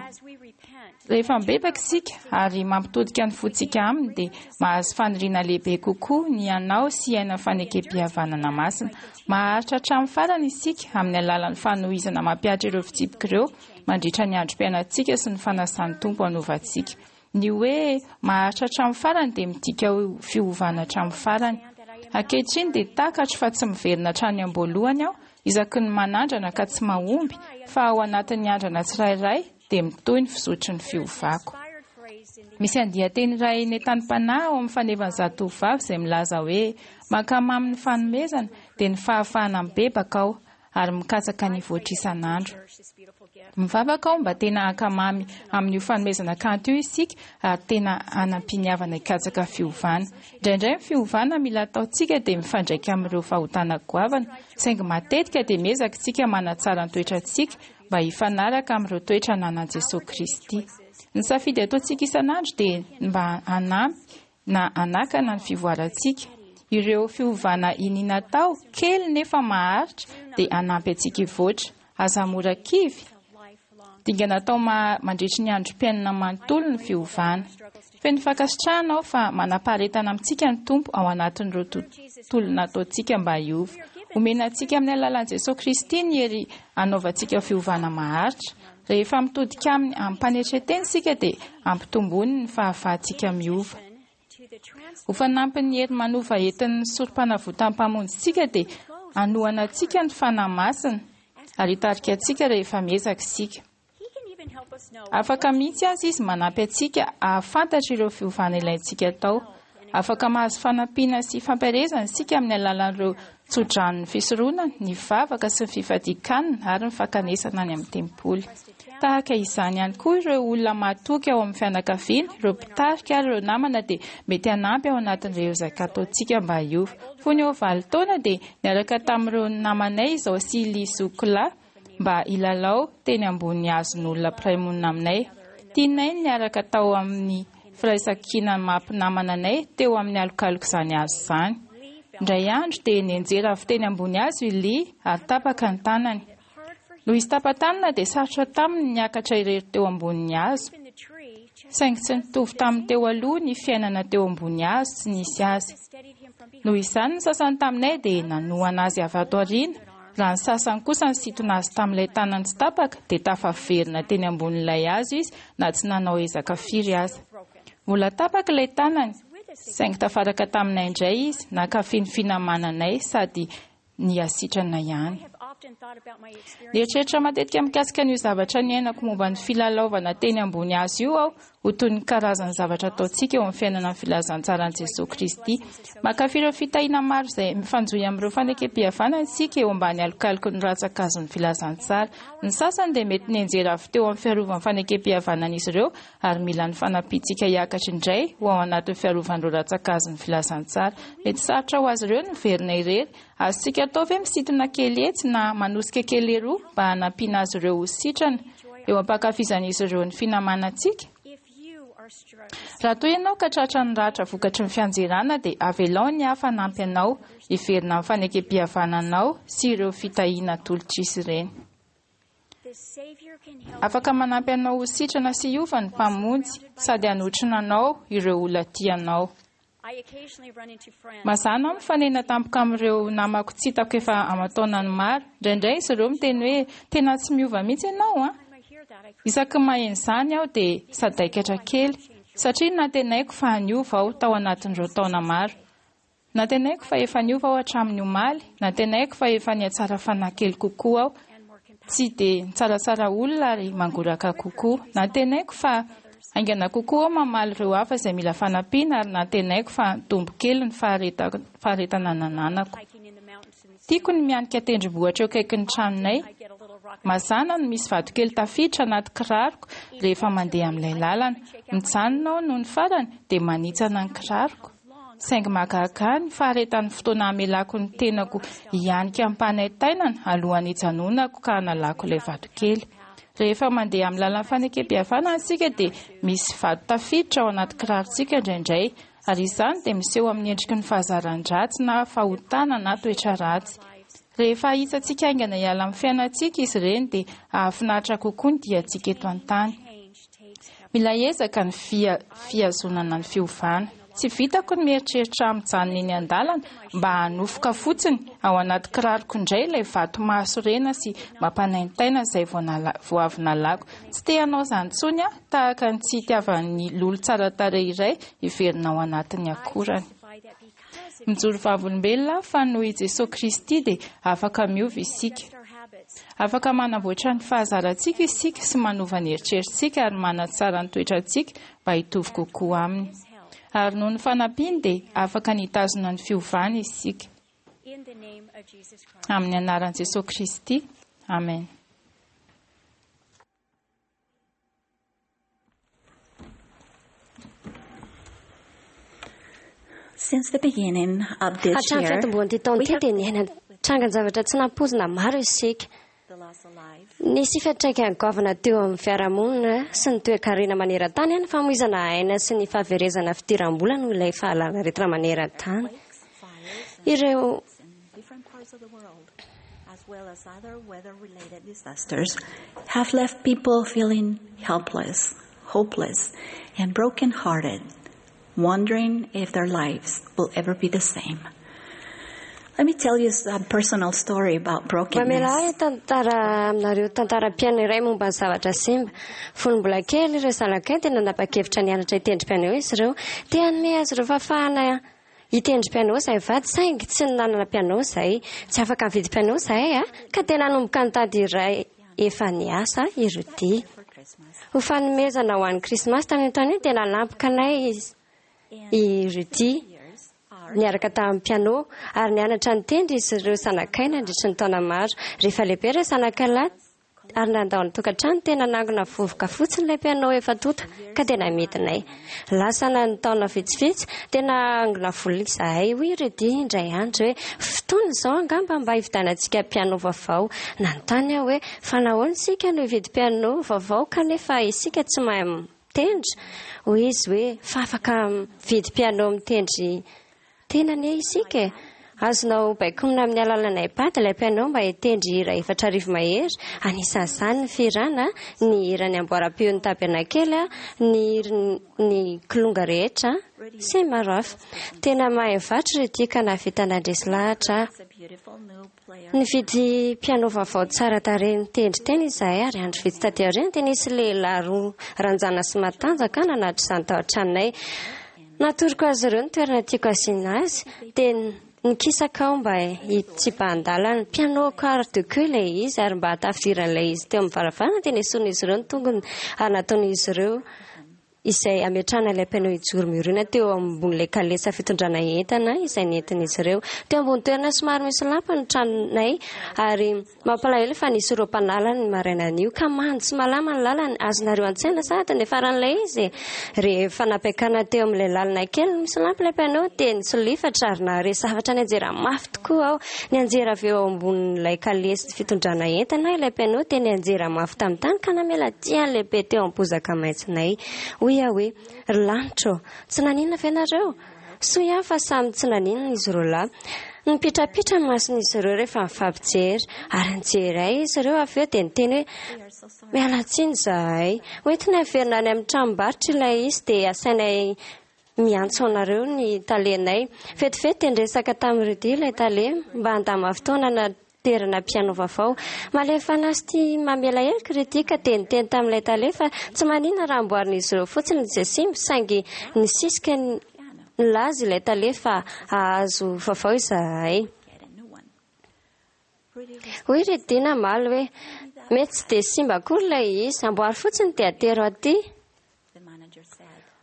Rehefa mibebaka isika ary mampitodika ny fontsika Aminy dia mahazo faniriana lehibe kokoa ny hanao sy hiaina fanekempihavanana masina. Maharitra hatramin'ny farany isika amin'ny alalan'ny fanohizana mampihatra ireo fitsipika ireo mandritra ny androm-piainantsika sy ny fanasan'ny Tompo hanova antsika. Ny hoe maharitra hatramin'ny farany dia midika ho fiovana hatramin'ny farany. Ankehitriny dia takatro fa tsy miverina hatrany am-boalohany aho isaky ny manandrana ka tsy mahomby, fa ao anatin'ny andrana tsirairay dia mitohy ny fizotry ny fiovako. Misy andian-teny iray nentanim-panahy ao amin'ny fanevan'ny zatovovavy izay milaza hoe, Mankamamy ny fanomezana, dia ny fahafahana mibebaka aho, ary mikatsaka ny hivoatra isan'andro. Mivavaka aho mba tena hankamamy amin'io fanomezana kanto io isika ary tena hanam-piniavana hikatsaka fiovana. Indraindray ny fiovana mila ataontsika dia mifandraika amin'ireo fahotana goavana, saingy matetika dia miezaka isika manatsara ny toetrantsika mba hifanaraka amin'ireo toetra ananan'i Jesoa Kristy. Ny safidy ataontsika isan'andro dia mba hanampy na hanakana ny fivoarantsika. Ireo fiovana iniana atao, kely nefa maharitra, dia hanampy antsika hivoatra. Aza mora kivy! Dingana atao mandritry ny androm-piainana manontolo ny fiovana. Feno fankasitrahana aho fa manam-paharetana amintsika ny Tompo ao anatin'ireo tolona ataontsika mba hiova. Omena antsika amin'ny alalan'i Jesoa Kristy ny hery hanaovantsika fiovana maharitra. Rehefa mitodika aminy amim-panetren-tena isika dia ampitomboiny ny fahafahantsika miova. Ho fanampin'ny hery manova entin'ny Sorompanavotan'ny Mpamonjintsika dia hanohana antsika ny Fanahy Masina ary hitarika antsika rehefa miezaka isika. Afaka mihitsy aza Izy manampy antsika hahafantatra ireo fiovana ilaintsika atao. Afaka mahazo fanampiana sy fampielezana isika amin'ny alalan'ireo tsodranon'ny fisoronana, ny vavaka sy ny fifadian-kanina ary ny fankanesana any amin'ny tempoly. Tahaka izany ihany koa ireo olona mahatoky ao amin'ny fianakaviana, ireo mpitarika ary ireo namana dia mety hanampy ao anatin'ireo ezaka ataontsika mba hiova. Fony eo valo taona dia niaraka tamin'ireo namanay izaho sy i Lee Zokla mba hilalao teny ambony hazon'olona mpiray monina aminay. Tianay ny niaraka tao amin'ny firaisan-kina maha mpinamana anay teo amin'ny alokalok'izany hazo izany. Indray andro dia nianjera avy teny ambony hazo i Lee ary tapaka ny tanany. Noho izy tapa-tanana dia sarotra taminy ny niakatra irery teo ambonin'ny hazo. Saingy tsy nitovy tamin'ny teo aloha ny fiainana teo ambony hazo tsy nisy azy. Noho izany ny sasany taminay dia nanohana azy avy ato aoriana, raha ny sasany kosa nisintona azy tamin'ilay tanany tsy tapaka dia tafaverina teny ambonin'ilay hazo izy na tsy nanao ezaka firy aza. Mbola tapaka ilay tanany, saingy tafaraka taminay indray izy, nankafy ny finamananay sady nihasitrana ihany. Nieritreritra matetika mikasika an'io zavatra niainako momba ny filalaovana teny ambony hazo io aho, ho toy ny karazan'ny zavatra ataontsika eo amin'ny fiainana ny filazantsaran'i Jesoa Kristy. Mankafy ireo fitahiana maro izay mifanjohy amin'ireo fanekempihavanana isika eo ambany alokaloky ny rantsan-kazon'ny filazantsara. Ny sasany dia mety nianjera avy teo amin'ny fiarovan'ny fanekempihavanan'izy ireo ary mila ny fanampiantsika hiakatra indray ho ao anatin'ny fiarovan'ireo rantsan-kazon'ny filazantsara. Mety sarotra ho azy ireo ny miverina irery. Azontsika atao ve misintona kely etsy na manosika kely eroa mba hanampiana azy ireo ho sitrana eo am-pankafizan'izy ireo ny finamanantsika? Raha toa ianao ka tratran'ny ratra vokatry ny fianjerana dia avelao ny hafa hanampy anao hiverina amin'ny fanekempihavananao sy ireo fitahiana atolotr'izy ireny. Afaka manampy anao ho sitrana sy hiova ny Mpamonjy sady hanotrona anao ireo olona tia anao. Mazàna aho mifanena tampoka amin'ireo namako tsy hitako efa aman-taonany maro. Indraindray izy ireo miteny hoe, Tena tsy miova mihitsy ianao an! Isaky ny maheno izany aho dia sadaikatra kely, satria nantenaiko fa niova aho tao anatin'ireo taona maro. Nantenaiko fa efa niova aho hatramin'ny omaly, nantenaiko fa efa nihatsara fanahy kely kokoa aho, tsy dia nitsaratsara olona ary mangoraka kokoa. Nantenaiko fa haingana kokoa aho mamaly ireo hafa izay mila fanampiana ary nantenaiko fa nitombo kely ny faharetana nananako. Tiako ny mianika tendrombohitra eo akaikin'ny tranonay. Mazàna no misy vatokely tafiditra anaty kiraroko rehefa mandeha amin'ilay lalana. Mijanona aho nony farany dia manitsana ny kiraroko. Saingy mahagaga ahy ny faharetan'ny fotoana hamelako ny tenako hianika amim-panaintainana alohan'ny hijanonako ka hanalako ilay vatokely. Rehefa mandeha amin'ny lalan'ny fanekempihavanana isika dia misy vato tafiditra ao anaty kirarontsika indraindray, ary izany dia miseho amin'ny endriky ny fahazaran-dratsy na fahotana na toetra ratsy. Rehefa ahitsantsika haingana hiala amin'ny fiainantsika izy ireny dia hahafinaritra kokoa ny diantsika eto an-tany. Mila ezaka ny fihazonana ny fiovana. Tsy vitako ny mieritreritra ahy mijanona eny an-dalana mba hanofoka fotsiny ao anaty kiraroko indray ilay vato mahasorena sy mampanaintaina izay vao avy nalako. Tsy te hanao izany intsony aho, tahaka ny tsy itiavan'ny lolo tsara tarehy iray hiverina ao anatin'ny akorany. Mijoro vavolombelona aho fa noho i Jesoa Kristy dia afaka miova isika. Afaka manamboatra ny fahazarantsika isika sy manova ny eritreritsika ary manatsara ny toetrantsika mba hitovy kokoa Aminy. Ary noho ny fanampiany dia afaka ny hitazona ny fiovana isika. Amin'ny anaran'i Jesoa Kristy. Amen. Since the beginning of this Hatramin'ny year, fiantombohan'ity taona we ity have dia niaina trangan-javatra tsy nampoizina maro isika. the loss of life, Nisy fiantraikany goavana teo amin'ny fiarahamonina sy ny toekarena maneran-tany ny famoizana aina sy ny fahaverezana fidiram-bola noho ilay fahalanaretina maneran-tany. quakes, fires, and Ireo in different parts of the world, as well as other weather-related disasters, have left people feeling helpless, hopeless, and broken-hearted, wondering if their lives will ever be the same. Let me tell you a personal story about Mamela brokenness. ahy tantara aminareo tantaram-piainana iray momba ny zavatra simba. Fony mbola kely ireo zanakay dia nanapa-kevitra nianatra hitendry piano izy ireo. Te hanome azy ireo fahafahana hitendry piano izahay vady saingy tsy nanana piano izahay. Tsy afaka nividy piano izahay a, ka dia nanomboka nitady iray efa niasa i Rudy. For Christmas. Ho fanomezana ho an'ny Krismasy tamin'io taona io dia nanampoka anay izy i Rudy Years are niaraka tamin'ny piano ary nianatra nitendry izy ireo zanakay nandritry ny taona maro. Rehefa lehibe ireo zanakay lahy ary nandao ny tokantrano tena nangona vovoka fotsiny ilay piano efa tonta ka dia namidinay. Lasa na ny taona vitsivitsy dia nangona vola izahay hoy Rudy indray andro hoe fotoana izao angamba mba hividianantsika piano vaovao. Nanontany aho hoe fa nahoana isika no hividy piano vaovao kanefa isika tsy mahay mitendry? Hoy izy hoe fa afaka mividy piano mitendry tena anie isika e. Azonao baikoina amin'ny alalan'ny iPad ilay piano mba hitendry hira 4000 mahery, anisan'izany ny fihirana, ny hiran'ny amboaram-peon'ny tabernakely, ny hirin'ny kilonga rehetra sy ny maro hafa. Tena mahay mivarotra Rudy ka nahavita nandresy lahatra aho. a beautiful new player. Nividy piano vaovao tsara tarehy nitendry tena izahay ary andro vitsy taty aoriana dia nisy lehilahy roa ranjana sy matanjaka nanatitra izany tao an-tranonay. Natoroko azy ireo ny toerana tiako asiana azy dia nikisaka aho mba hitsipahan-dalana. Piano quart de queue ilay izy ary mba hahatafidiran'ilay izy teo amin'ny varavarana dia nesorin'izy ireo ny tongony ary nataon'izy ireo izay ametrahana ilay piano hijoro miorina teo ambon'ilay kalesa fitondrana entana izay nentin'izy ireo. Teo ambony toerana somary misy lampy ny tranonay ary mampalahelo fa nisy ireo mpanala ny marainan'io ka mando sy malama ny lalana. Azonareo an-tsaina sahady ny faran'ilay izy. Rehefa nampiakarina teo amin'ilay lalana kely misy lampy ilay piano dia nisolifatra ary nahare zavatra nianjera mafy tokoa aho. Nianjera avy eo ambonin'ilay kalesy fitondrana entana ilay piano dia nianjera mafy tamin'ny tany ka namela diany lehibe teo amin'ny bozaka maitsonay. Hoy aho hoe, ry lanitra ô, tsy naninona ve nareo? Soa ihany fa samy tsy naninona izy roa lahy. Nipitrapitra ny mason'izy ireo rehefa nifampijery ary nijery ahy izy ireo avy eo dia niteny hoe miala tsiny izahay. Hoentina hiverina any amin'ny tranombarotra ilay izy dia asainay miantso anareo ny talenay. Vetivety dia niresaka tamin'i Rudy ilay tale mba handama fotoana fitaterana piano vaovao. Malemy fanahy sy tia mamela heloka ry Tia ka dia niteny tamin'ilay tale fa tsy maninona raha amboarin'izy ireo fotsiny izay simba saingy nisisika nilaza ilay tale fa hahazo vaovao izahay. Hoy ry Tia namaly hoe, Mety tsy dia simba akory ilay izy, amboary fotsiny dia atero aty.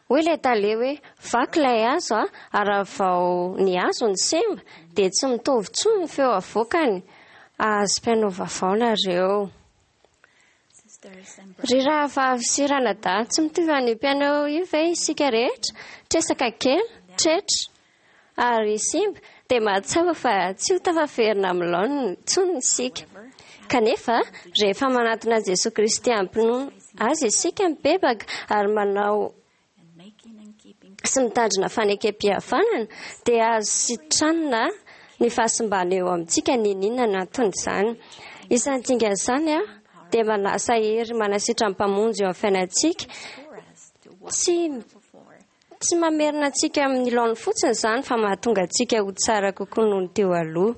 Hoy ilay tale hoe, Vaky ilay hazo a, ary raha vao ny hazo no simba dia tsy mitovy intsony ny feo avoakany. Hahazo piano vaovao nareo. Ry rahavavy sy ranadahy, tsy mitovy an'io piano io ve isika rehetra? Tresaka kely, tretra, ary simba, dia mahatsapa fa tsy ho tafaverina amin'ny laoniny intsony isika. Kanefa, rehefa manatona an'i Jesoa Kristy amim-pinoana Azy isika, mibebaka ary manao sy mitandrina fanekempihavanana, dia azo sitranina ny fahasimbana eo amintsika n'inon'inona ny anton'izany. Izany dingana izany dia manasa hery manasitran'ny Mpamonjy eo amin'ny fiainantsika. Tsy Tsy mamerina antsika amin'ny laoniny fotsiny izany fa mahatonga antsika ho tsara kokoa noho ny teo aloha.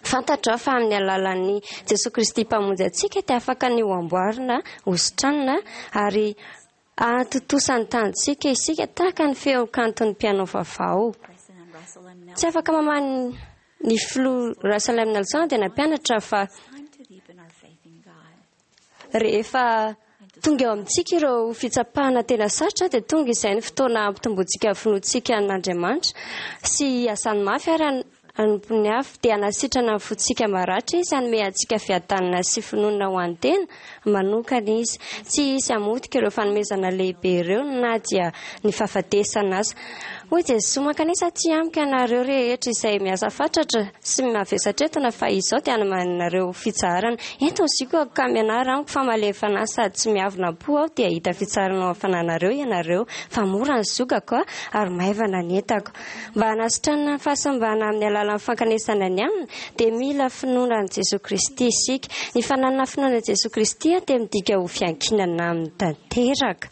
Fantatro aho fa amin'ny alalan'i Jesoa Kristy Mpamonjy antsika dia afaka ny ho amboarina, ho sitranina ary hahatontosa ny tanjontsika isika tahaka ny feo kanton'ny piano vaovao. Tsy afaka mamaly ny filoha Russell M. Nelson dia nampianatra fa Rehefa tonga eo amintsika ireo fitsapana tena sarotra dia tonga izay ny fotoana hampitomboantsika ny finoantsika an'Andriamanitra sy hiasany mafy ary hanompo ny hafa. Dia hanasitrana ny fontsika maratra Izy, hanome antsika fiadanana sy finoana ho an'ny tena manokana Izy. Tsy hisy hamotika ireo fanomezana lehibe ireo na dia ny fahafatesana aza. Hoy Jesoa, Mankanesa aty amiko ianareo rehetra izay miasa fatratra sy mavesatra entana, fa Izaho dia hanome anareo fitsaharana. Ento ny ziokako ka mianara amiko, fa malemy fanahy sady tsy miavona am-po Aho, dia hahita fitsaharana ao amin'ny fanahinareo ianareo, fa mora ny ziokako ary maivana ny entako. Mba hanasitranana ny fahasimbana amin'ny alalan'ny fankanesana ny aminy, dia mila finoana an'i Jesoa Kristy isika. Ny fananana finoana an'i Jesoa Kristy dia midika ho fiankinana aminy tanteraka.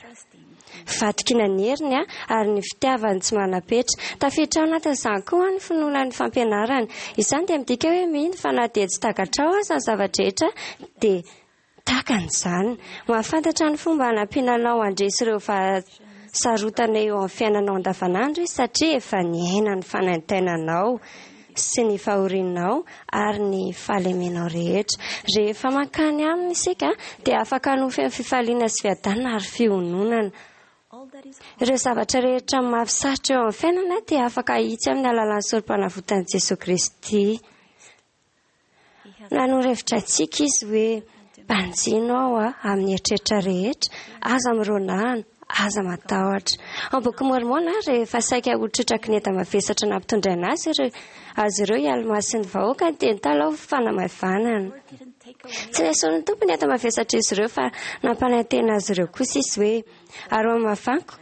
Fahatokiana ny heriny ary ny fitiavany tsy manam-petra. Tafiditra ao anatin'izany koa ny finoana ny fampianarany. Izany dia midika hoe mino fa na dia tsy takatrao aza ny zava-drehetra dia takany izany. Mahafantatra ny fomba hanampiana anao handresy ireo fahasarotana eo amin'ny fiainanao andavanandro izy satria efa niaina ny fanaintainanao. sy ny fahorianao ary ny fahalemenao rehetra. Rehefa mankany Aminy isika dia afaka hanohy feno fifaliana sy fiadanana ary fiononana. Ireo zavatra rehetra mafy sarotra eo amin'ny fiainana dia afaka hahitsy amin'ny alalan'ny Sorompanavotan'i Jesoa Kristy. Nanoro hevitra antsika Izy hoe, Banjino Aho amin'ny eritreritra rehetra, aza mironahana, aza matahotra. Ao Boky Môrmôna, rehefa saika ho trotraky ny enta-mavesatra nampitondraina azy ireo azy ireo i Almà sy ny vahoakany dia nitalaho fanamaivanana. Tsy nesorin'ny Tompo ny enta-mavesatr'izy ireo fa nampanantena azy ireo kosa Izy hoe, Ary ho hamavaniko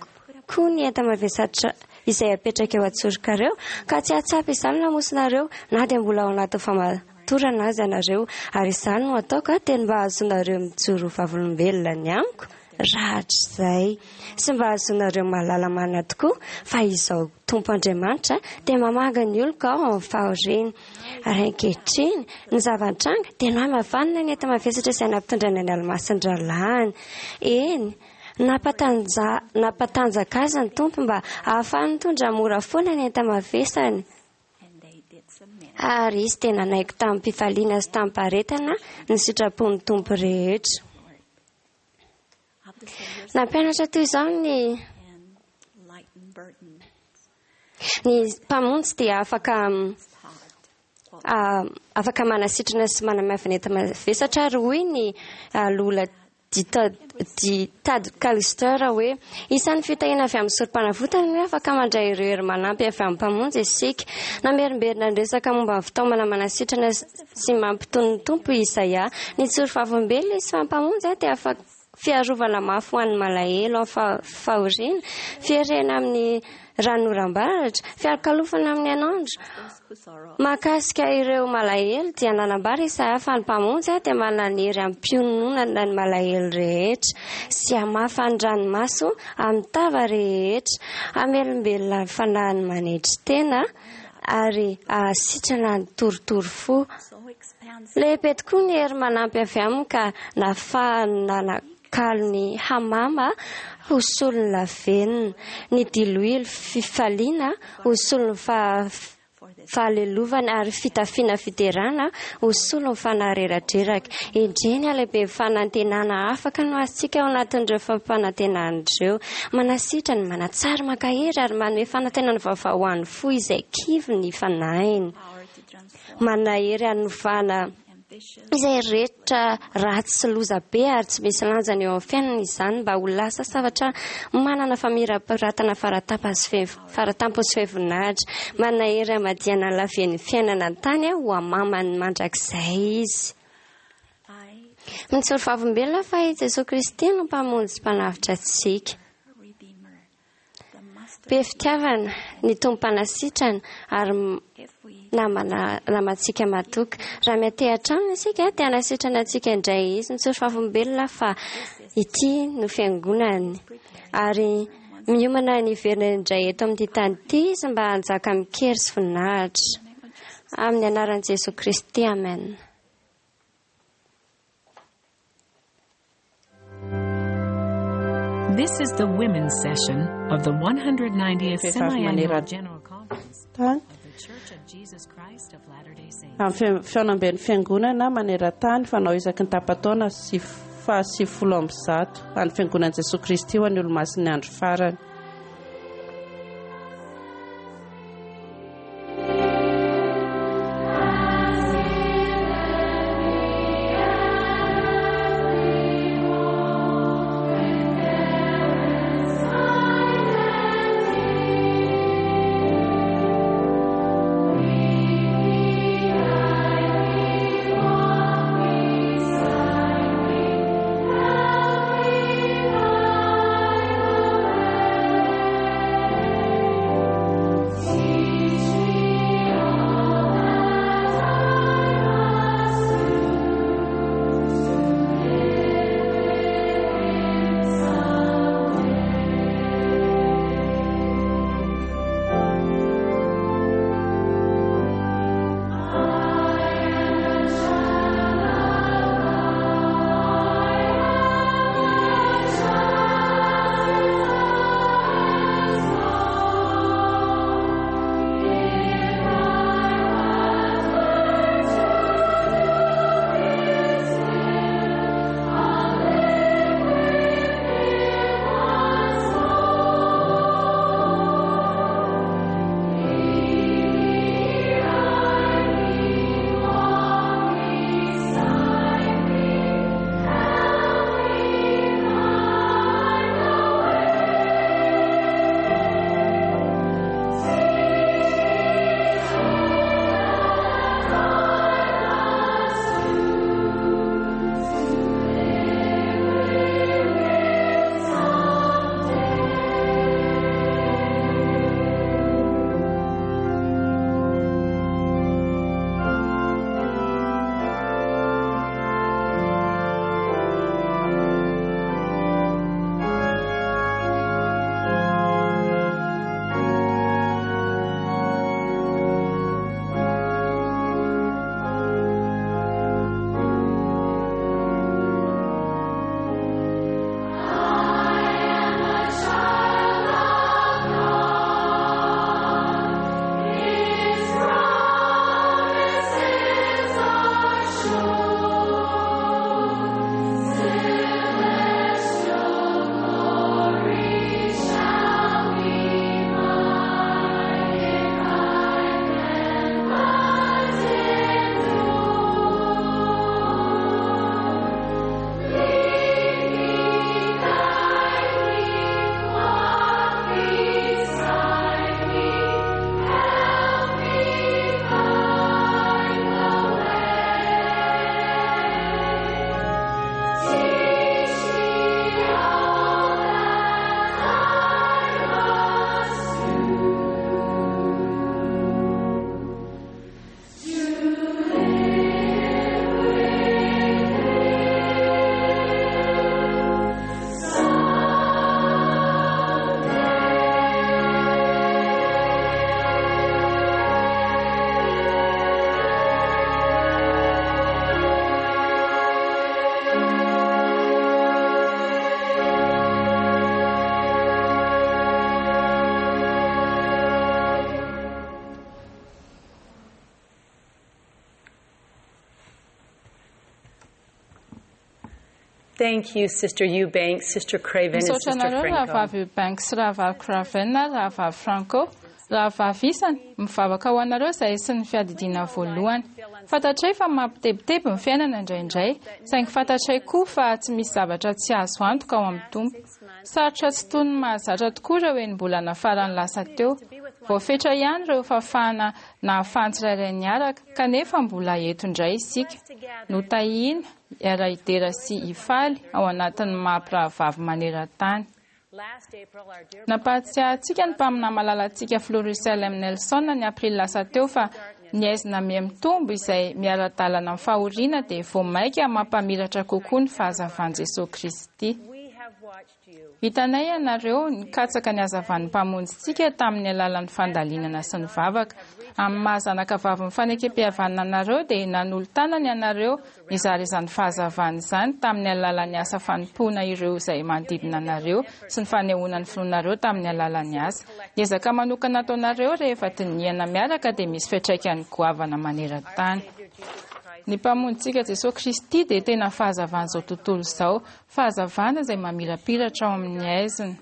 koa ny enta-mavesatra izay apetraka eo an-tsorokareo, ka tsy hahatsapa izany lamosinareo na dia mbola ao anatin'ny famatorana aza ianareo, ary izany no ataoko dia ny mba hahazoanareo mijoro ho vavolombelona ny amiko rahatrizay, sy mba hahazoanareo mahalala marina tokoa fa Izaho Tompo Andriamanitra dia mamangy ny oloko ao amin'ny fahoriany. Ary ankehitriny, ny zava-nitranga dia nohamavanina ny enta-mavesatra izay nampitondraina ny alomasin-drahalahiny. Eny, Nampatanja, nampatanjaka azy ny Tompo mba hahafahany mitondra mora foana ny enta-mavesany. Ary izy dia nanaiky tamim-pifaliana sy tamim-paharetana ny sitrapon'ny Tompo rehetra. Nampianatra toy izao ny ny Mpamonjy dia afaka afaka manasitrana sy manamaivana enta-mavesatra ary hoy ny Lola Di Tad Callister hoe, Isan'ny fitahiana avy amin'ny Sorompanavotana ny hoe afaka mandray ireo hery manampy avy amin'ny Mpamonjy isika. Namerimberina niresaka momba ny fitaomana manasitrana sy mampitony ny Tompo i Isaia. Nijoro vavolombelona izy fa ny Mpamonjy dia afaka fiarovana mafy ho an'ny malahelo amin'ny fahoriana, fierena amin'ny ranonoram-baratra, fialokalofana amin'ny hainandro. Mahakasika ireo malahelo dia nanambara Isaia fa ny Mpamonjy dia manana hery hampiononana ny malahelo rehetra sy hamafa ny ranomaso amin'ny tava rehetra, hamelombelona ny fanahin'ny manetry tena ary hahasitrana ny torotoro fo. Lehibe tokoa ny hery manampy avy aminy ka nahafahany nanakalo ny hamama ho solon'ny lavenona, ny diloilo fifaliana ho solon'ny fahalelovana ary fitafiana fiderana ho solon'ny fanahy reradreraka. Endrey ny halehiben'ny fanantenana afaka no azontsika ao anatin'ireo fampanantenana ireo. Manasitrana, manatsara, mankahery ary manome fanantenana vaovao ho an'ny fo izay kivy ny fanahiny. Manahery hanovana izay rehetra ratsy sy loza be ary tsy misy lanjany eo amin'ny fiainana izany mba ho lasa zavatra manana famirapiratana faratampony sy feno voninahitra. Manahery hamadihana ny laven'ny fiainana an-tany ho hamamany mandrakizay izy. Mijoro vavolombelona fa i Jesoa Kristy no Mpamonjy sy Mpanavotra antsika. Be fitiavana, ny Tompo mpanasitrana ary namana namantsika matoky. Raha miantehatra aminy isika dia hanasitrana antsika indray izy. Mijoro vavolombelona fa ity no fiangonany ary miomana ny hiverina indray eto amin'ity tany ity izy mba hanjaka amin-kery sy voninahitra. Amin'ny anaran'i Jesoa Kristy, amen. This is the women's session of the 190th Vehivavy Semi-Annual maneran- General Conference tany of the Church of Jesus Christ of Latter-day Saints. Amin'ny fihaonamben'ny fiangonana maneran-tany fanao isaky ny tapa-taona sy faha-190 an'ny fiangonan'i Jesoa Kristy ho an'ny Olomasin'ny andro farany. Thank you, Sister Eubanks, Sister Craven, and Misaotra Sister anareo Franco. rahavavy Eubanks, rahavavy Craven ary rahavavy Franco. Rahavavy isany, mivavaka ho anareo izay sy ny fiadidiana voalohany. Fantatray fa mampitebiteby ny fiainana indraindray, saingy fantatray koa fa tsy misy zavatra tsy azo antoka ao amin'ny Tompo. Sarotra tsy toy ny mahazatra tokoa ireo enim-bolana farany lasa teo. Voafetra ihany ireo fahafahana nahafahan'ny tsirairay niaraka, kanefa mbola eto indray isika. Notahina, hiara-hidera sy hifaly ao anatin'ny maha-mpirahavavy maneran-tany. Nampahatsiahy antsika ny mpaminany malalantsika Filoha Russell M. Nelson ny aprily lasa teo fa ny aizina miha-mitombo izay miara-dalana amin'ny fahoriana dia vao mainka mampamiratra kokoa ny fahazavan'i Jesosy Kristy. Hitanay ianareo nikatsaka ny hazavan'ny mpamonjintsika tamin'ny alalan'ny fandalinana sy ny vavaka. Amin'ny maha zanaka vavin'ny fanekempihavanana anareo dia nanolo-tanana ianareo nizara izany fahazavana izany tamin'ny alalan'ny asa fanompoana ireo izay manodidina anareo sy ny fanehoana ny finoanareo tamin'ny alalan'ny asa. Ny ezaka manokana ataonareo rehefa dinihana miaraka dia misy fiantraikany goavana maneran-tany. Ny mpamonjintsika Jesosy Kristy dia tena fahazavan'izao tontolo izao, fahazavana izay mamirapiratra ao amin'ny aizina.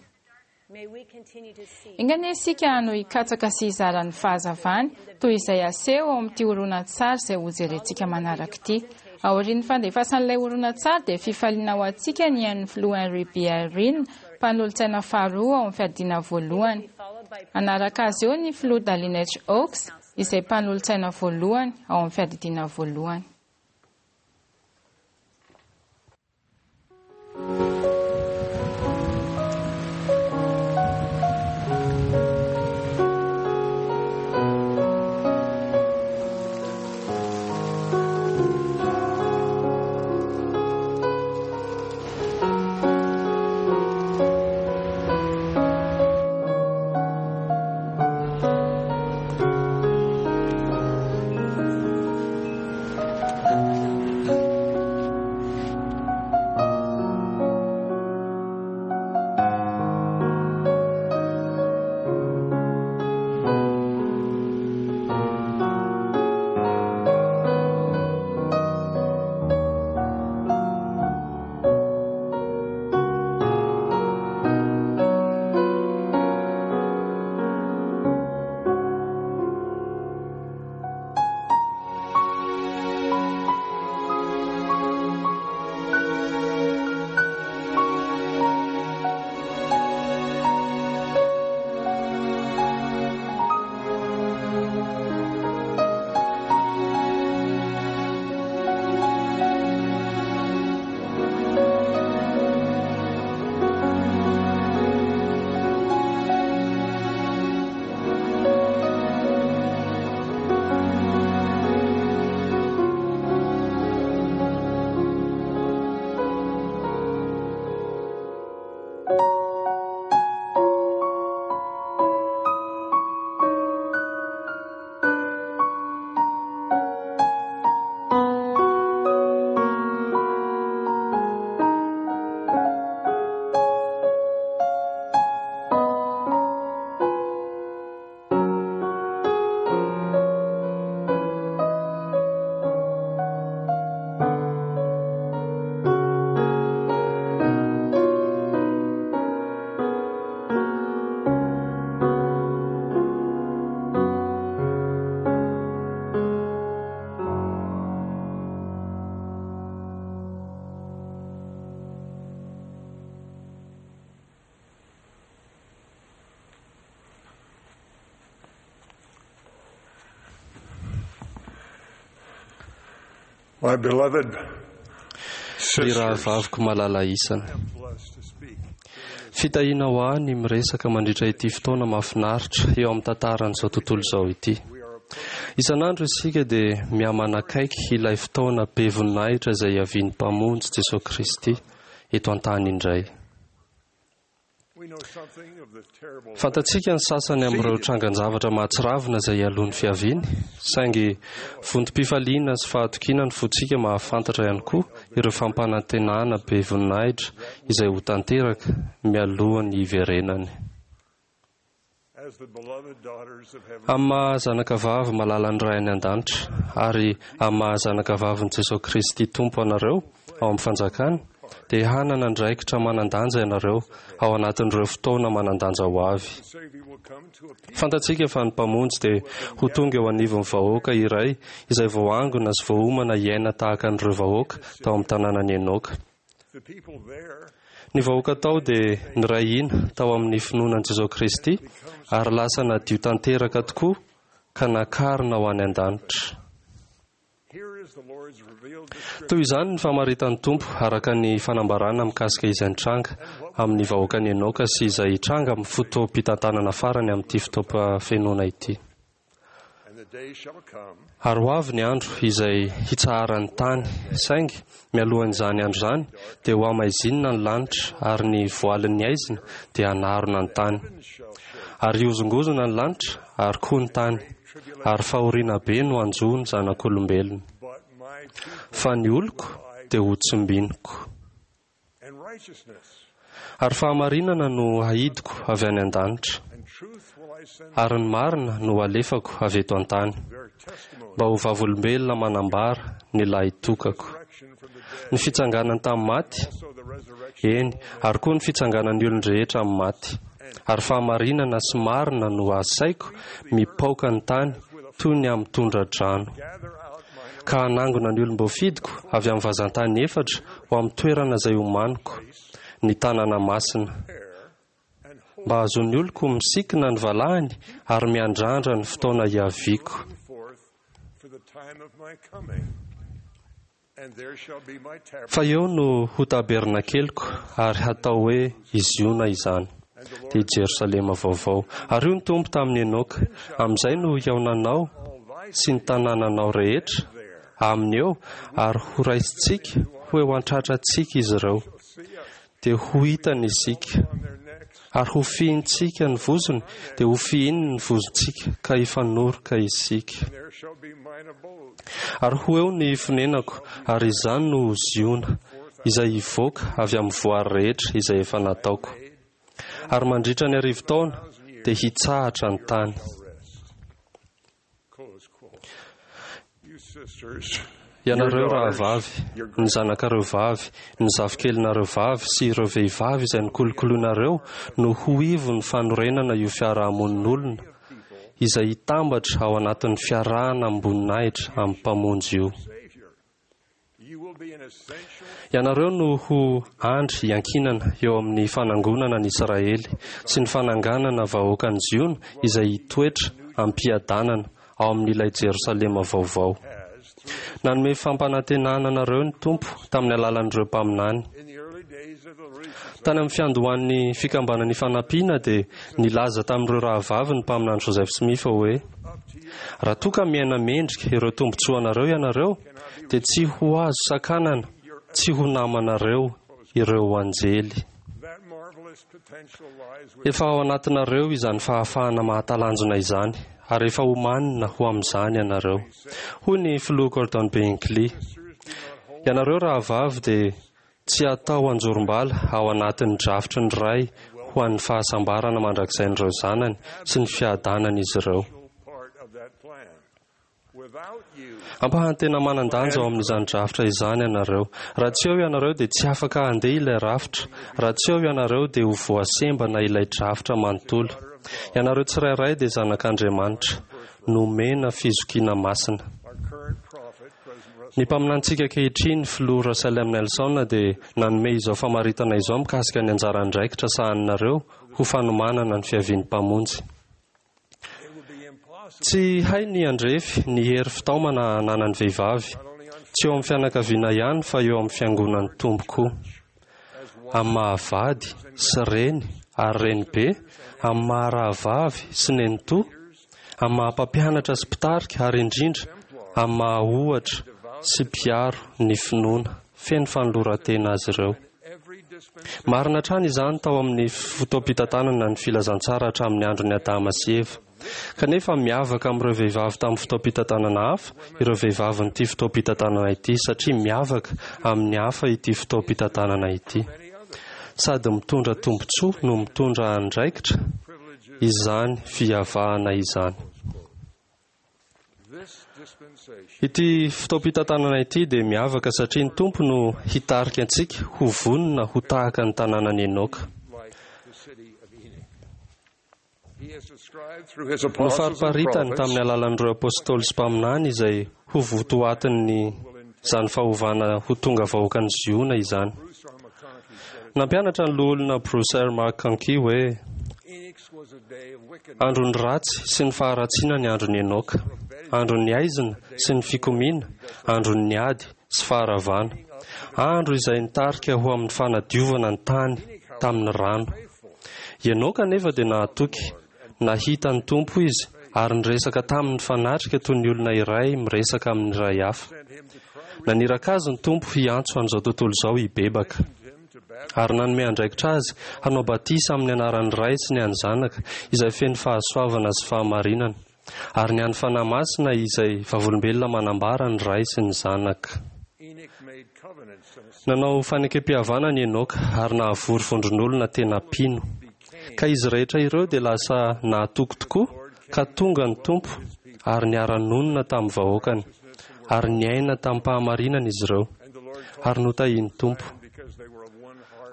Enga anie isika no hikatsaka sy hizara ny fahazavany toy izay aseho ao amin'ity horonan-tsary izay hojerentsika manaraka ity. Aorian'ny fandefasan'ilay horonan-tsary dia fifaliana ho antsika ny hain'ny filoha Henry B. Eyring, mpanolotsaina faharoa ao amin'ny fiadiana voalohany. Hanaraka azy eo ny filoha Dallin H. Oaks, izay mpanolotsaina voalohany ao amin'ny fiadidiana voalohany. My beloved Ry sisters, rahavaviko malala isany. I am blessed to speak. Fitahiana ho ahy ny miresaka mandritra ity fotoana mahafinaritra eo amin'ny tantaran'izao tontolo izao ity. Isan'andro isika dia mihamanakaiky ilay fotoana be voninahitra izay hiavian'ny mpamonjy Jesosy Kristy eto an-tany indray. We know something of the terrible Fantatsika ny sasany amin'ireo trangan-javatra mahatsiravina izay hialoha ny fiaviany, saingy vontom-pifaliana sy fahatokiana ny fontsika mahafantatra ihany koa ireo fampanantenana be voninahitra izay ho tanteraka mialoha ny hiverenany. as the beloved daughters of heaven. Amin'ny maha zanakavavy malalan'ny Ray any an-danitra ary amin'ny maha zanakavavin'i Jesosy Kristy Tompo anareo ao amin'ny fanjakany, dia hanana andraikitra manan-danja ianareo ao anatin'ireo fotoana manan-danja ho avy. Fantatsika fa ny Mpamonjy dia ho tonga eo anivon'ny vahoaka iray izay voaangona sy voaomana hiaina tahaka an'ireo vahoaka tao amin'ny tanànan'i Enoka. Ny vahoaka tao dia niray hina tao amin'ny finoana an'i Jesosy Kristy ary lasa nadio tanteraka tokoa ka nakarina ho any an-danitra. Toy izany ny famaritan'ny Tompo araka ny fanambarana mikasika izay nitranga amin'ny vahoakan'i Enoka sy izay hitranga amin'ny fotoam-pitantanana farany amin'ity fotoam-pahafenoana ity. Ary ho avy ny andro izay hitsaharan'ny tany, saingy mialohan'izany andro izany dia ho hamaizinina ny lanitra ary ny voalin'ny haizina dia hanarona ny tany. Ary hihozongozona ny lanitra ary koa ny tany, ary fahoriana be no hanjo ny zanak'olombelona. Fa ny oloko dia ho tsimbiniko. Ary fahamarinana no hahidiko avy any an-danitra, ary ny marina no halefako avy eto an-tany, mba ho vavolombelona manambara ny lahitokako. Ny fitsanganany tamin'ny maty, eny, ary koa ny fitsanganan'ny olon-drehetra amin'ny maty. Ary fahamarinana sy marina no asaiko mipaoka ny tany toy ny amin'ny tondra-drano. Ka hanangona ny olom-boafidiko avy amin'ny vazan-tany efatra ho amin'ny toerana izay omaniko, ny tanàna masina, mba hahazoan'ny oloko misikina ny valahany ary miandrandra ny fotoana hiaviako. Fa eo no ho tabernakeliko ary hatao hoe i Ziona izany, dia i Jerosalema vaovao. Ary hoy ny Tompo tamin'i Enoka, Amin'izay no hihaonanao sy ny tanànanao rehetra aminy eo, ary horaisintsika ho eo an-tratrantsika izy ireo. Dia ho hitany isika, ary hofihintsika ny vozony, dia hofihininy ny vozontsika, ka hifanoroka isika. Ary ho eo ny fonenako, ary izany no ho Ziona, izay hivoaka avy amin'ny voary rehetra izay efa nataoko. Ary mandritra ny arivotaona dia hitsahatra ny tany. Ianareo rahavavy, ny zanakareo vavy, ny zafikelinareo vavy sy ireo vehivavy izay nokolokoloinareo no ho ivon'ny fanorenana io fiarahamonin'olona izay hitambatra ao anatin'ny fiarahana amim-boninahitra amin'ny Mpamonjy io. Ianareo no ho andry iankinana eo amin'ny fanangonana an'i Israely sy ny fananganana vahoakan'i Ziona izay hitoetra amim-piadanana ao amin'ilay Jerosalema vaovao. Nanome fampanantenana anareo ny Tompo tamin'ny alalan'ireo mpaminany. Tany amin'ny fiandohan'ny Fikambanana Ifanampiana dia nilaza tamin'ireo rahavavy ny mpaminany Joseph Smith hoe, Raha toa ka miaina mendrika ireo tombontsoanareo ianareo, dia tsy ho azo sakanana tsy ho namanareo ireo anjely. Efa ao anatinareo izany fahafahana mahatalanjona izany, ary efa omanina ho amin'izany ianareo. Hoy ny Filoha Gordon B. Hinckley, Ianareo rahavavy dia tsy hatao anjorom-bala ao anatin'ny drafitry ny Ray ho an'ny fahasambarana mandrakizain'ireo zanany sy ny fiadanan'izy ireo. Ampahany tena manan-danja ao amin'izany drafitra izany ianareo. Raha tsy eo ianareo dia tsy afaka handeha ilay rafitra. Raha tsy eo ianareo dia ho voasembana ilay drafitra manontolo. Ianareo tsirairay dia zanak'Andriamanitra, nomena fizokiana masina. Ny mpaminanintsika ankehitriny, Filoha Russell M. Nelson, dia nanome izao famaritana izao mikasika ny anjara andraikitra sahaninareo ho fanomanana ny fiavian'ny Mpamonjy. Tsy hay ny handrefy ny hery fitaomana ananan'ny vehivavy, tsy eo amin'ny fianakaviana ihany fa eo amin'ny fiangonan'ny Tompo koa. Amin'ny maha-vady sy reny ary renibe, amin'ny maha-rahavavy sy nenitoa, amin'ny maha-mpampianatra sy mpitarika ary indrindra amin'ny maha-ohatra sy mpiaro ny finoana feno fanoloran-tena azy ireo. Marina hatrany izany tao amin'ny fotoam-pitantanana ny filazantsara hatramin'ny andron'i Adama sy Eva. Kanefa miavaka amin'ireo vehivavy tamin'ny fotoam-pitantanana hafa ireo vehivavin'ity fotoam-pitantanana ity satria miavaka amin'ny hafa ity fotoam-pitantanana ity. Sady mitondra tombontsoa no mitondra andraikitra izany fiavahana izany. Ity fotoam-pitantanana ity dia miavaka satria ny Tompo no hitarika antsika ho vonona ho tahaka ny tanànan'i Enoka. Nofariparitany tamin'ny alalan'ireo apôstôly sy mpaminany izay ho votoatin'izany fahovana ho tonga vahoakan'i Ziona izany. Nampianatra ny loholona Bruce R. McConkie hoe andron'ny ratsy sy ny faharatsiana ny andron'i Enoka, andron'ny aizina sy ny fikomiana, andron'ny ady sy faharavana, andro izay nitarika ho amin'ny fanadiovana ny tany tamin'ny rano. Enoka anefa dia nahatoky, nahita ny Tompo izy ary niresaka taminy fanatrika toy ny olona iray miresaka amin'ny iray hafa. Naniraka azy ny Tompo hiantso an'izao tontolo izao hibebaka, ary nanome andraikitra azy hanao batisa amin'ny anaran'ny Ray sy ny an'ny Zanaka izay feno fahasoavana sy fahamarinana, ary ny an'ny Fanahy Masina izay vavolombelona manambara ny Ray sy ny Zanaka. Nanao fanekem-pihavanana i Enoka ary nahavory vondron'olona tena mpino. Ka izy rehetra ireo dia lasa nahatoky tokoa ka tonga ny Tompo ary niara-nonina tamin'ny vahoakany, ary niaina tamim-pahamarinana izy ireo, ary notahian'ny Tompo.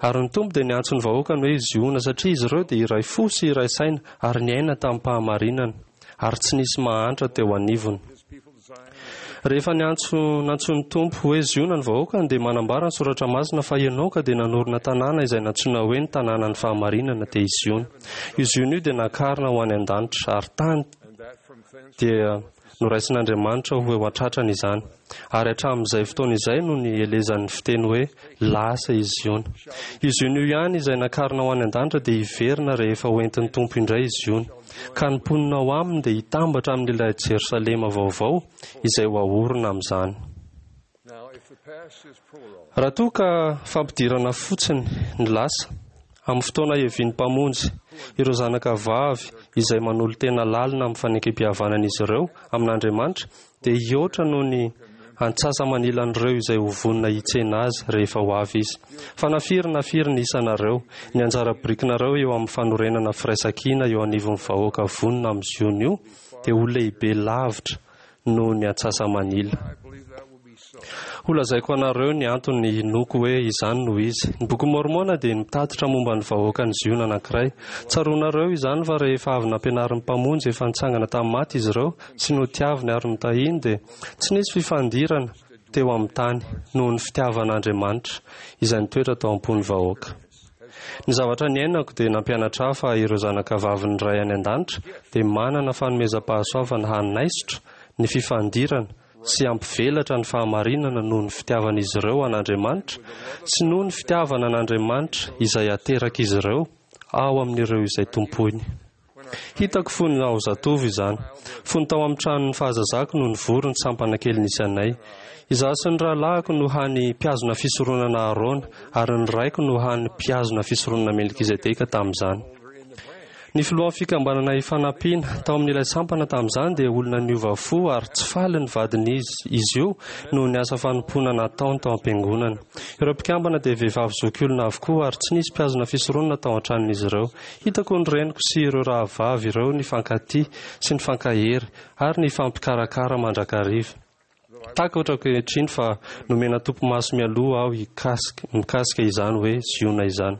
Ary ny Tompo dia niantso ny vahoakany hoe Ziona satria izy ireo dia iray fo sy iray saina ary niaina tamim-pahamarinana, ary tsy nisy mahantra teo anivony. Rehefa niantso nantsoin'ny Tompo hoe Ziona ny vahoakany dia manambara ny Soratra Masina fa Enoka dia nanorina tanàna izay nantsoina hoe ny tanànan'ny fahamarinana dia i Ziona. Io Ziona io dia nakarina ho any an-danitra ary tany dia noraisin'Andriamanitra ho eo an-tratrany izany. Ary hatramin'izay fotoana izay no nielezan'ny fiteny hoe lasa i Ziona. Io Ziona io ihany izay nakarina ho any an-danitra dia hiverina rehefa hoentin'ny Tompo indray i Ziona. Ka ny mponina ao aminy dia hitambatra amin'ilay Jerosalema vaovao izay ho aorina amin'izany. Raha toa ka fampidirana fotsiny ny lasa, amin'ny fotoana hiavian'ny Mpamonjy, ireo zanaka vavy izay manolo-tena lalina amin'ny fanekem-pihavanan'izy ireo amin'Andriamanitra dia hihoatra noho ny antsasa-manilan'ireo izay ho vonona hitsena azy rehefa ho avy izy. Fa na firy na firy ny isanareo, ny anjara birikinareo eo amin'ny fanorenana firaisankina eo anivon'ny vahoaka vonona amin'ny Ziona io dia ho lehibe lavitra noho ny antsasa-manila. Holazaiko anareo ny antony hinoako hoe izany no izy. Ny Bokin'i Môrmôna dia mitatitra momba ny vahoakan'i Ziona anankiray. Tsaroanareo izany fa rehefa avy nampianarin'ny Mpamonjy efa nitsangana tamin'ny maty izy ireo sy notiaviny ary notahiny dia tsy nisy fifandirana teo amin'ny tany noho ny fitiavan'Andriamanitra izay nitoetra tao am-pon'ny vahoaka. Ny zavatra niainako dia nampianatra ahy fa ireo zanakavavin'ny Ray any An-danitra dia manana fanomezam-pahasoavana hanaisotra ny fifandirana sy hampivelatra ny fahamarinana noho ny fitiavan'izy ireo an'Andriamanitra sy noho ny fitiavana an'Andriamanitra izay aterak'izy ireo ao amin'ireo izay tompoiny. Hitako fony aho zatovo izany. Fony tao amin'ny tranon'ny fahazazako no nivory ny sampana kely nisy anay. Izaho sy ny rahalahiko no hany mpihazona fisoronana Arona, ary ny raiko no hany mpihazona fisoronana Melkizedeka tamin'izany. Ny filohan'ny fikambanana Ifanampiana tao amin'ilay sampana tamin'izany dia olona niova fo ary tsy faly ny vadin'izy izy io noho ny asa fanompoana nataony tao am-piangonana. Ireo mpikambana dia vehivavy zokiolona avokoa ary tsy nisy mpihazona fisoronana tao an-tranon'izy ireo. Hitako ny reniko sy ireo rahavavy ireo nifankatia sy nifankahery ary nifampikarakara mandrakariva. Takatra ankehitriny fa nomena topimaso mialoha aho mikasika izany hoe Ziona izany.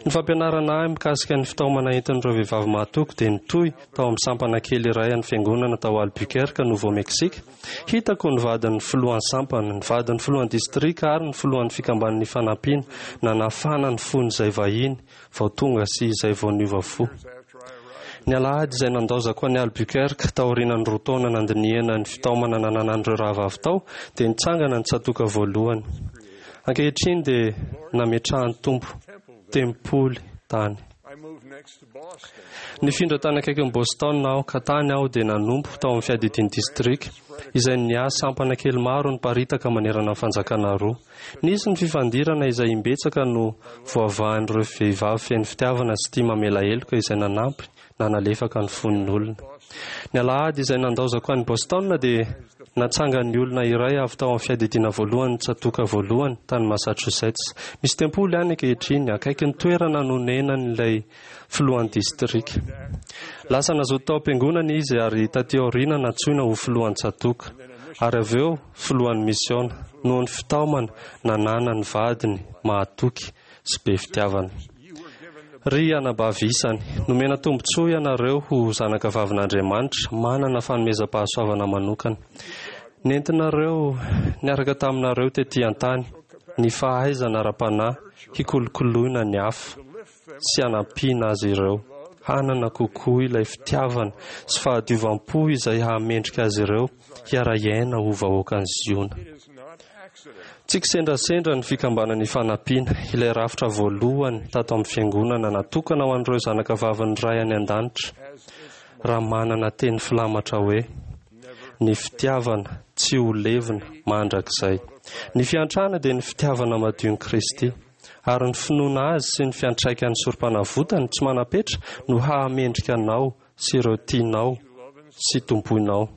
Ny fampianarana ahy mikasika ny fitaomana entin'ireo vehivavy mahatoky dia nitohy tao amin'ny sampana kely iray an'ny Fiangonana tao Albuquerque, Nouveau-Mexique. Hitako ny vadin'ny filohan'ny sampana, ny vadin'ny filohan'ny distrika ary ny filohan'ny fikamban'ny Ifanampiana nanafana ny fon'izay vahiny vao tonga sy izay vao niova fo. Ny alahady izay nandaozako an'i Albuquerque, taorianan'ny 2 taona nandinihana ny fitaomana nananan'ireo rahavavy tao, dia nitsangana ny tsatoka voalohany. Ankehitriny dia nametrahan'ny Tompo tempoly tany. Nifindra tany akaikin'i Boston aho, ka tany aho dia nanompo tao amin'ny fiadidian'ny distrika, izay niahy sampana kely maro niparitaka manerana ny fanjakana roa. Nisy ny fifandirana izay imbetsaka no voavahan'ireo vehivavy feno fitiavana sy tia mamela heloka izay nanampy nanalefaka ny fon'ny olona. Ny alahady izay nandaozako an'i Boston dia natsangan'ny olona iray avy tao amin'ny fiadidiana voalohany tsatoka voalohany tany Massachusetts. Misy tempoly any ankehitriny, akaiky ny toerana nonenan'ilay filohan'ny distrika. Lasa nazoto tao am-piangonana izy ary taty aoriana nantsoina ho filohan'ny tsatoka, ary avy eo filohan'ny misiona, noho ny fitaomana nananan'ny vadiny mahatoky sy be fitiavana. Ry anabavy isany, nomena tombontsoa ianareo ho zanakavavin'Andriamanitra manana fanomezam-pahasoavana manokana. Nentinareo niaraka taminareo tetỳ an-tany ny fahaizana ara-panahy hikolokoloina ny hafa sy hanampiana azy ireo hanana kokoa ilay fitiavana sy fahadiovam-po izay hahamendrika azy ireo hiara-hiaina ho vahoakan'i Ziona. Tsy kisendrasendra ny fikambanana Ifanampiana, ilay rafitra voalohany tato amin'ny fiangonana natokana ho an'ireo zanakavavin'ny Ray any an-danitra, raha manana teny filamatra hoe, Ny fitiavana tsy ho levona mandrakizay. Ny fiantrana dia ny fitiavana madion'i Kristy, ary ny finoana Azy sy ny fiantraikan'ny sorompanavotany tsy manam-petra no hahamendrika anao sy ireo tianao sy tompoinao.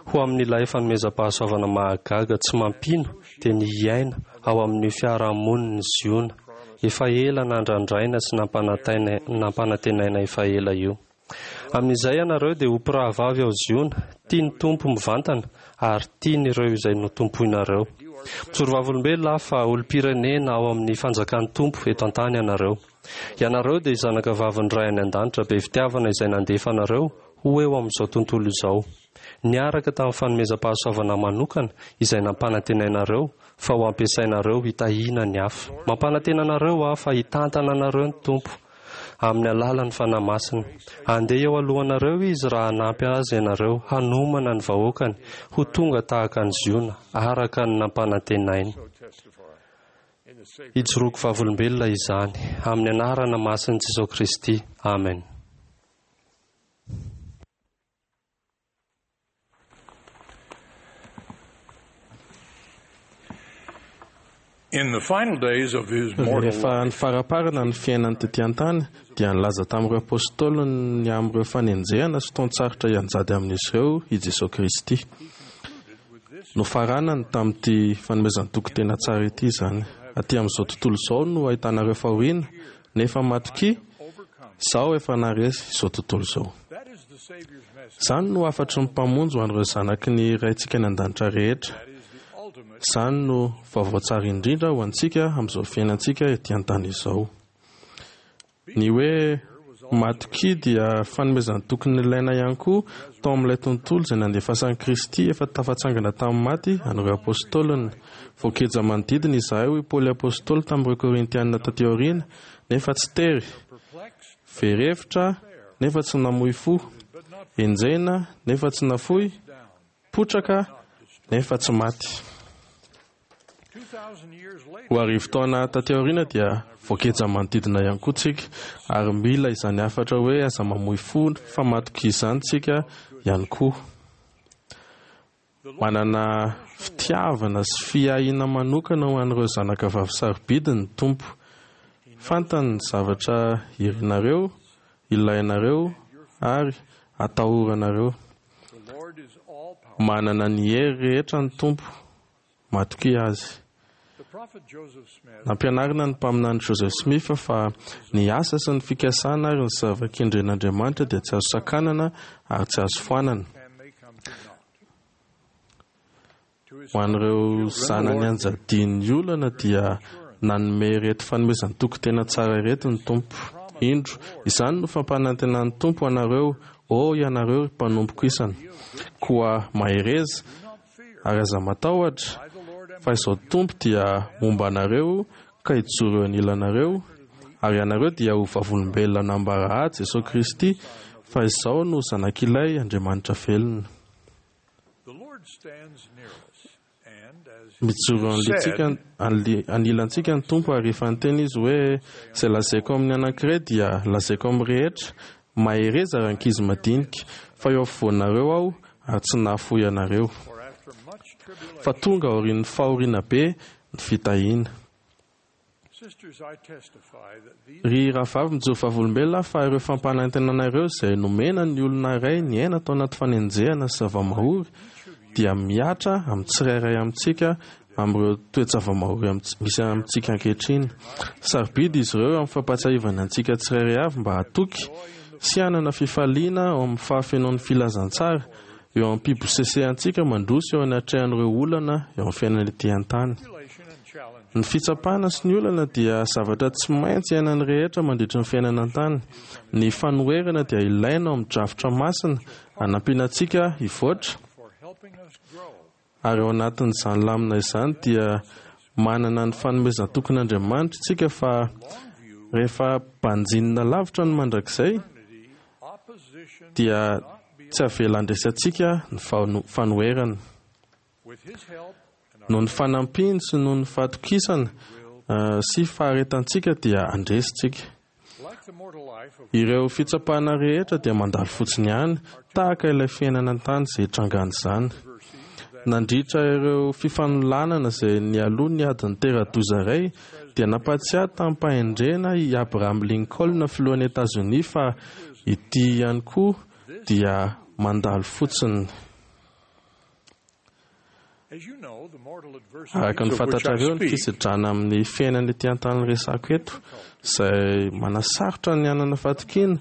Ho amin'ilay fanomezam-pahasoavana mahagaga tsy mampino dia ny hiaina ao amin'io fiarahamonin'i Ziona efa ela nandrandraina sy nampanantenaina efa ela io. Amin'izay ianareo dia ho mpirahavavy ao Ziona, tia ny Tompo mivantana ary tian'ireo izay notompoinareo. Mijoro vavolombelona aho fa olom-pirenena ao amin'ny fanjakan'ny Tompo eto an-tany ianareo. Ianareo dia zanakavavin'ny Ray any An-danitra be fitiavana izay nandefa anareo ho eo amin'izao tontolo izao, niaraka tamin'ny fanomezam-pahasoavana manokana izay nampanantenainareo fa ho ampiasainareo hitahiana ny hafa. Mampanantena anareo aho fa hitantana anareo ny Tompo amin'ny alalan'ny Fanahy Masina. Handeha eo alohanareo Izy raha hanampy Azy ianareo hanomana ny vahoakany ho tonga tahaka an'i Ziona araka ny nampanantenainy. Ijoroako vavolombelona izany, amin'ny anarana masin'i Jesoa Kristy, amen. Rehefa nifaraparana ny fiainany tetỳ an-tany, dia nilaza tamin'ireo apostoliny ny amin'ireo fanenjehana sy fotoan-tsarotra hianjady amin'izy ireo i Jesoa Kristy. Nofaranany tamin'ity fanomezan-toky tena tsara ity izany, Aty amin'izao tontolo izao no ahitanareo fahoriana, nefa matokia, Izaho efa naharesy izao tontolo izao. Izany no hafatry ny Mpamonjy ho an'ireo zanaky ny Raintsika any An-danitra rehetra. Izany no vaovao tsara indrindra ho antsika amin'izao fiainantsika ety an-tany izao. Ny hoe matokia dia fanomezan-toky nilaina ihany koa tao amin'ilay tontolo izay nandefasan'i Kristy efa tafatsangana tamin'ny maty an'ireo apostoliny. Voageja manodidina izahay, hoy Paoly apostoly tamin'ireo Korintiana taty aoriana, nefa tsy tery, very hevitra, nefa tsy namoy fo, enjehina, nefa tsy nafoy, potraka, nefa tsy maty. Ho arivotaona taty aoriana dia voageja manodidina ihany koa tsika ary mila izany hafatra hoe aza mamoy fo fa matokia izany tsika ihany koa. Manana fitiavana sy fiahiana manokana ho an'ireo zanaka vavy sarobidy ny Tompo. Fantany ny zavatra irinareo, ilainareo ary atahoranareo. Manana ny hery rehetra ny Tompo. Matokia Azy. Nampianarina ny mpaminany Joseph Smith fa ny asa sy ny fikasana ary ny zava-kendren'Andriamanitra dia tsy azo sakanana ary tsy azo foanana. Ho an'ireo zanany anjadian'ny olana dia nanome ireto fanomezan-toky tena tsara ireto ny Tompo, Indro, izany no fampanantenan'ny Tompo ho anareo, Ô ianareo ry mpanompoko isany, koa mahereza, Ary aza matahotra, fa Izaho Tompo dia momba anareo ka hijoro eo anilanareo, ary ianareo dia ho vavolombelona hanambara Ahy, Jesoa Kristy, fa Izaho no Zanak'Ilay Andriamanitra velona. Mijoro anilantsika ny Tompo ary efa niteny Izy hoe, Izay lazaiko amin'ny anankiray dia lazaiko amin'ny rehetra, Mahereza ry ankizy madinika, fa eo afovoanareo Aho ary tsy nahafoy anareo. Fa tonga aorian'ny fahoriana be ny fitahiana. Ry rahavavy, mijoro vavolombelona fa ireo fampanantenana ireo izay nomena ny olona iray niaina tao anaty fanenjehana sy zava-mahory dia mihatra amin'ny tsirairay amintsika amin'ireo toe-java-mahory misy amintsika ankehitriny. Sarobidy izy ireo amin'ny fampahatsiahivana antsika tsirairay avy mba hatoky sy hanana fifaliana ao amin'ny fahafenoan'ny filazantsara eo am-pibosesehantsika mandroso eo anatrehan'ireo olana eo amin'ny fiainana ety an-tany. Ny fitsapana sy ny olana dia zavatra tsy maintsy iainan'ny rehetra mandritry ny fiainana an-tany. Ny fanoherana dia ilaina ao amin'ny drafitra masina hanampiana antsika hivoatra, ary ao anatin'izany lamina izany dia manana ny fanomezan-tokin'Andriamanitra isika fa rehefa banjinina lavitra ny mandrakizay dia tsy avela handresy antsika ny fanoherana. Noho ny fanampiany sy noho ny fahatokisana sy faharetantsika dia handresy isika. Ireo fitsapana rehetra dia mandalo fotsiny ihany, tahaka ilay fiainana an-tany izay itrangan'izany. Nandritra ireo fifanolanana izay nialoha ny adin'ny tera-doza iray, dia nampahatsiahy tamim-pahendrena i Abraham Lincoln, filohan'i Etazonia, fa ity ihany koa dia mandalo fotsiny. Araka ny fantatrareo, ny fisedrana amin'ny fiainana ety an-tany resako eto, izay manasarotra ny hanana fatokiana,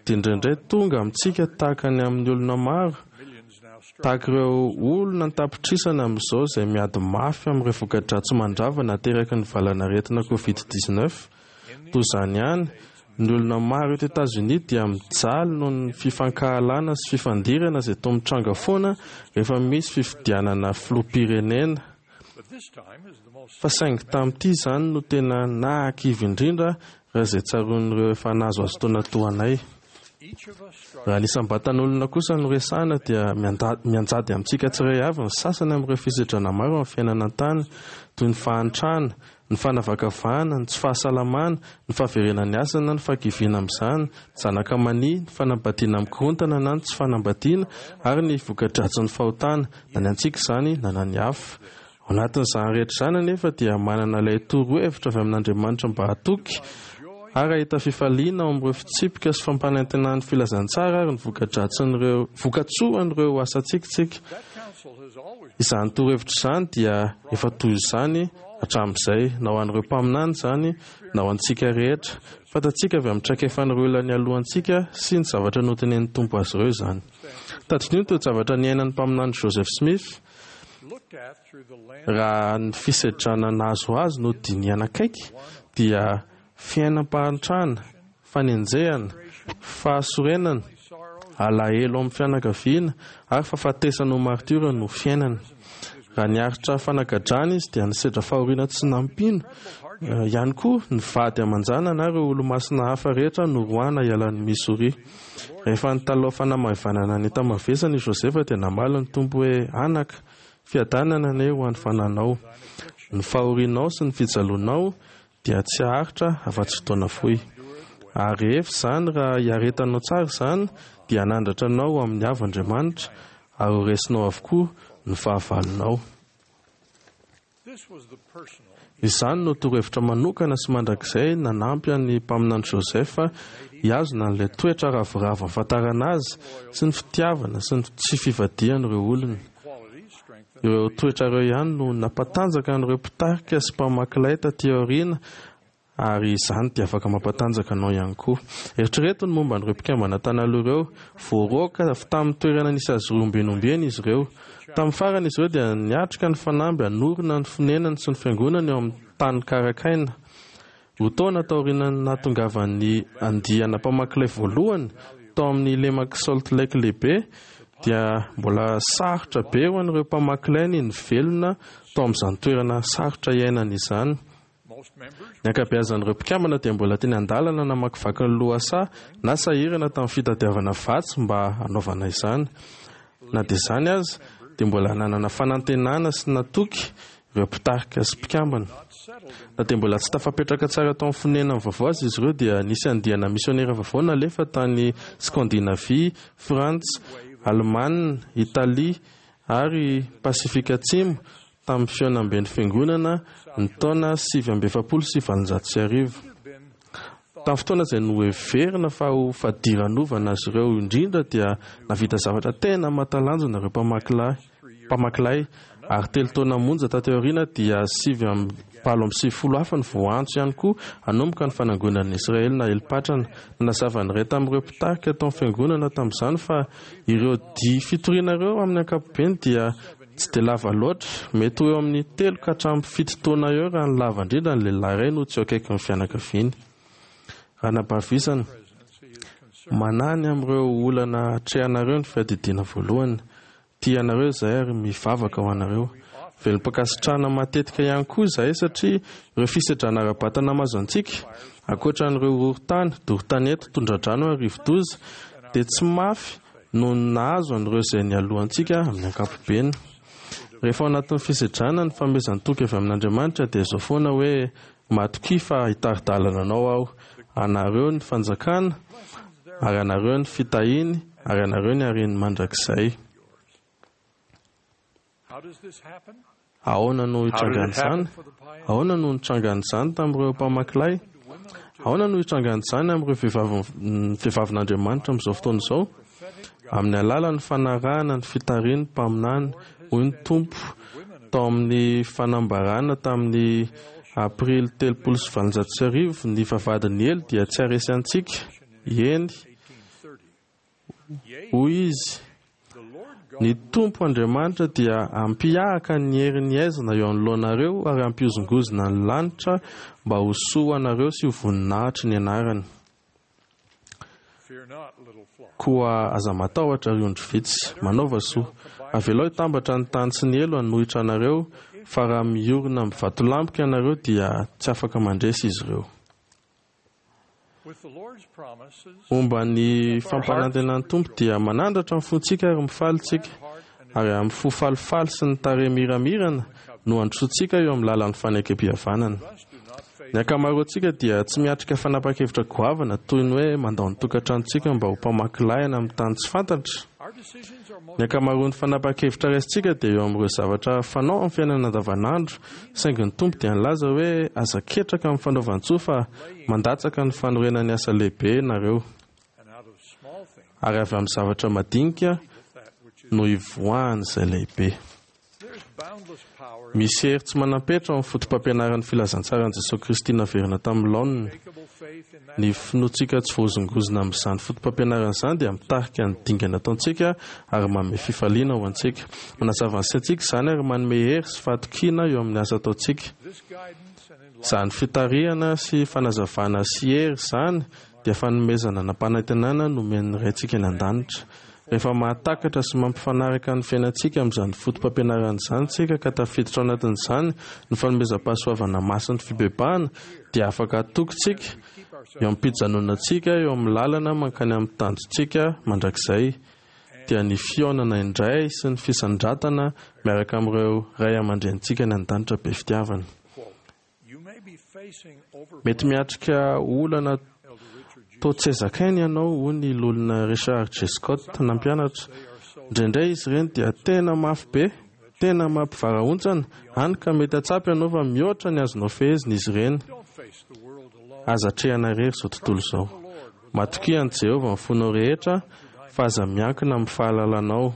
dia indraindray tonga amintsika tahaka ny amin'ny olona maro, tahaka ireo olona an-tapitrisany amin'izao izay miady mafy amin'ireo voka-dratsy mandrava nateraky ny valanaretina Covid-19. Toy izany ihany, ny olona maro eto Etazonia dia mijaly noho ny fifankahalana sy fifandirana izay toa mitranga foana rehefa misy fifidianana filoham-pirenena. Fa saingy tamin'ity izany no tena nahakivy indrindra raha izay tsaroan'ireo efa nahazoazo taona toa anay. Raha ny isam-batan'olona kosa no resahina dia mianjady amintsika tsirairay avy ny sasany amin'ireo fisedrana maro amin'ny fiainana an-tany, toy ny fahantrana, ny fanavakavahana, ny tsy fahasalamana, ny fahaverenan'ny asa na ny fahakiviana amin'izany, ny zanaka mania, ny fanambadiana mikorontana na ny tsy fanambadiana, ary ny voka-dratsin'ny fahotana, na ny antsika izany na ny an'ny hafa. Ao anatin'izany rehetra izany anefa dia manana ilay torohevitra avy amin'Andriamanitra mba hatoky ary hahita fifaliana ao amin'ireo fitsipika sy fampanantenan'ny filazantsara ary ny voka-dratsin'ireo vokatsoan'ireo asantsika isika. Izany torohevitra izany dia efa toy izany hatramin'izay, na ho an'ireo mpaminany izany na ho antsika rehetra. Fantatsika avy amin'ny traikefan'ireo olona nialoha antsika sy ny zavatra notenenin'ny Tompo azy ireo izany. Tadidio ny toe-javatra niainan'ny mpaminany Joseph Smith. Raha ny fisedrana nahazo azy no dinihana akaiky dia fiainam-pahantrana, fanenjehana, fahasorenana, alahelo amin'ny fianakaviana ary fahafatesana ho martiora no fiainany. Raha niaritra fanagadrana izy dia nisedra fahoriana tsy nampino ihany koa ny vady aman-janany ary ireo olomasina hafa rehetra noroahana hiala an'i Missouri. Rehefa nitalaho fanamaivanana ny enta-mavesany i Josefa dia namaly ny Tompo hoe, Anaka, fiadanana anie ho an'ny fananao. Ny fahorianao sy ny fijalianao dia tsy haharitra afa-tsy fotoana fohy. Ary rehefa izany, raha iaretanao tsara izany, dia hanandratra anao ho amin'ny avo Andriamanitra, ary ho resinao avokoa ny fahavalonao. Izany no torohevitra manokana sy mandrakizay nanampy an'ny mpaminany Joseph hihazona an'ilay toetra ravoravo ahafantarana azy sy ny fitiavana sy ny tsy fivadihany ireo olony. Ireo toetra ireo ihany no nampatanjaka an'ireo mpitarika sy mpamaky lay taty aoriana Ary izany dia afaka mampatanjaka anao ihany koa. Eritrereto ny momba an'ireo mpikambana tany aloha ireo. Voaroaka avy tamin'ny toerana nisy azy ireo ombieny ombieny izy ireo. Tamin'ny farany izy ireo dia niatrika ny fanamby hanorina ny fonenany sy ny fiangonany eo amin'ny tany karakaina. Roa taona taorian'ny nahatongavan'ny andiana mpamaky lay voalohany tao amin'ny lemak'i Salt Lake Lehibe, dia mbola sarotra be ho an'ireo mpamaky lay ny nivelona tao amin'izany toerana sarotra iainana izany. Ny ankabeazan'ireo mpikambana dia mbola teny an-dalana namakivaky ny lohasaha na sahirana tamin'ny fitadiavana vatsy mba hanaovana izany. Na dia izany aza, dia mbola nanana fanantenana sy natoky ireo mpitarika sy mpikambana. Na dia mbola tsy tafapetraka tsara tao amin'ny fonenany vaovao aza izy ireo dia nisy andiana misionera vaovao nalefa tany Skandinavia, Frantsa, Alemana, Italia ary Pasifika Atsimo tamin'ny fihaonamben'ny Fiangonana ny taona 1849. Tamin'ny fotoana izay noheverina fa ho fadiranovana azy ireo indrindra dia nahavita zavatra tena mahatalanjona ireo mpamaky lay, ary telo taona monja taty aoriana dia 89 hafa no voaantso ihany koa hanomboka ny fanangonan'ny Israely naelin-patrana. Nanazava ny iray tamin'ireo mpitarika tao amin'ny fiangonana tamin'izany fa ireo dihy fitoriana ireo amin'ny ankapobeny dia tsy dia lava loatra, mety ho eo amin'ny telo ka hatramin'ny fito taona eo raha ny lava indrindra ny lehilahy iray no tsy eo akaikin'ny fianakaviany. Ranabavisana, manahy ny amin'ireo olana atrehanareo ny fiadidiana voalohany. Tia anareo izahay ary mivavaka ho anareo. Velom-pankasitrahana matetika ihany koa izahay satria ireo fisedrana ara-batana mahazo antsika, ankoatra an'ireo horohorontany, doro tanety, tondra-drano ary rivo-doza, dia tsy mafy noho ny nahazo an'ireo izay nialoha antsika amin'ny ankapobeny. Rehefa ao anatin'ny fisedrana, ny fanomezan-toky avy amin'Andriamanitra dia izao foana hoe, Matokia fa hitari-dalana anao Aho. Anareo ny fanjakana, ary anareo ny fitahiany, ary anareo ny hareny mandrakizay. Ahoana no hitrangan'izany? Ahoana no nitrangan'izany tamin'ireo mpamaky lay? Ahoana no hitrangan'izany amin'ireo vehivavin'Andriamanitra amin'izao fotoana izao? Amin'ny alalan'ny fanarahana ny fitarihin'ny mpaminany, hoy ny Tompo tao amin'ny fanambarana tamin'ny Aprily 1830, ny vavahadin'ny helo dia tsy haharesy antsika. Eny, hoy izy, ny Tompo Andriamanitra dia hampihahaka ny herin'ny haizina eo anoloanareo ary hampihozongozona ny lanitra mba ho soa ho anareo sy ho voninahitry ny anarany. Koa aza matahotra, ry ondry vitsy, manaova soa. Avelao hitambatra ny tany sy ny helo hanohitra anareo, fa raha miorina amin'ny vatolampiko ianareo dia tsy afaka mandresy izy ireo. Momba ny fampanantenan'ny Tompo dia manandratra ny fontsika ary mifaly isika, ary amin'ny fo falifaly sy ny tarehy miramirana no handrosoantsika eo amin'ny lalan'ny fanekempihavanana. Ny ankamaroantsika dia tsy miatrika fanapahan-kevitra goavana toy ny hoe mandao ny tokantranontsika mba ho mpamaky lay any amin'ny tany tsy fantatra. Ny ankamaroan'ny fanapahan-kevitra raisintsika dia eo amin'ireo zavatra fanao amin'ny fiainana andavanandro, saingy ny Tompo dia nilaza hoe aza ketraka amin'ny fanaovan-tsoa fa mandatsaka ny fanorenan'ny asa lehibe nareo. Ary avy amin'ny zavatra madinika no ivoahan'izay lehibe. Misy hery tsy manam-petra ao amin'ny fotopampianaran'ny filazantsaran'i Jesoa Kristy naverina tamin'ny laoniny. Ny finoantsika tsy voahozongozona amin'izany fotopampianarana izany dia mitarika ny dingana ataontsika ary manome fifaliana ho antsika. Manazava ny saintsika izany ary manome hery sy fahatokiana eo amin'ny asa ataontsika. Izany fitarihana sy fanazavana sy hery izany dia fanomezana nampanantenana nomen'ny Raintsika any An-danitra. Rehefa mahatakatra sy mampifanaraka ny fiainantsika amin'izany fotopampianarana izany isika ka tafiditra ao anatin'izany ny fanomezam-pahasoavana masin'ny fibebahana dia afaka hatoky isika eo am-pijanonantsika eo amin'ny lalana mankany amin'ny tanjontsika mandrakizay dia ny fihaonana indray sy ny fisandratana miaraka amin'ireo ray aman-drenintsika any an-danitra be fitiavana. Mety miatrika olana toa tsy zakaina ianao, hoy ny Loholona Richard J. Scott nampianatra. Indraindray izy ireny dia tena mafy be, tena mampivarahontsana, hany ka mety hahatsapa ianao fa mihoatra ny azonao fehezina izy ireny. Aza atrehina irery izao tontolo izao. Matokia an'i Jehovah amin'ny fonao rehetra, fa aza miankina amin'ny fahalalanao.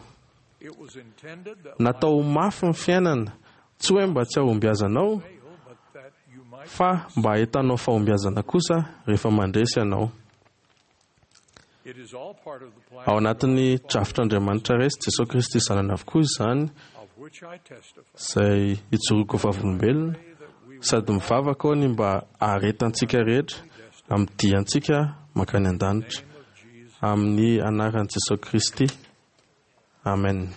Natao ho mafy ny fiainana, tsy hoe mba tsy hahombiazanao, fa mba hahitanao fahombiazana kosa rehefa mandresy ianao. Ao anatin'ny drafitr'Andriamanitra Ray sy Jesoa Kristy Zanany avokoa izany, izay ijoroako ho vavolombelona, sady mivavaka aho ny mba haharetantsika rehetra amin'ny diantsika mankany an-danitra. Amin'ny anaran'i Jesoa Kristy. Amen.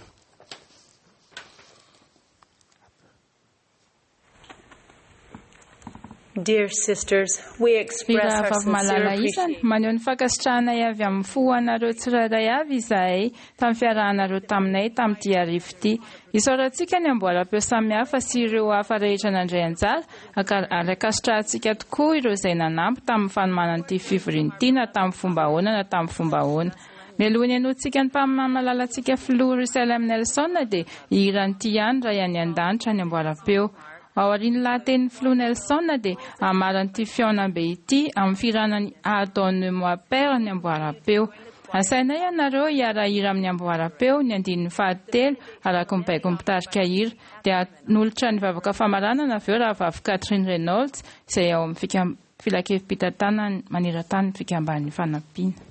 Dear sisters, we express our Ry rahavavy sincere malala isany, appreciation. maneho ny fankasitrahanay avy amin'ny fo ho anareo tsirairay avy izahay tamin'ny fiarahanareo taminay tamin'ity hariva ity. Isaorantsika ny amboaram-peo samihafa sy ireo hafa rehetra nandray anjara, ary ankasitrahantsika tokoa ireo izay nanampy tamin'ny fanomanana ity fivoriana ity na tamin'ny fomba ahoana na tamin'ny fomba ahoana. Mialoha ny henoantsika ny mpaminany malalantsika Filoha Russell M. Nelson dia hihira an'ity ihany Ray any An-danitra any amboaram-peo. Aorian'ny lahatenin'ny filoha Nelson dia hamarana ity fihaonambe ity amin'ny fihirana ny Pardonne-moi Père ny amboaram-peo. Asainay ianareo hiara-hira amin'ny amboaram-peo ny andininy fahatelo araka ny baikon'ny mpitarika hira. Dia hanolotra ny vavaka famaranana avy eo Rahavavy Kathryn Reynolds izay ao amin'ny Filankevi-pitantanana maneran-tany ny Fikamban'ny Fanampiana.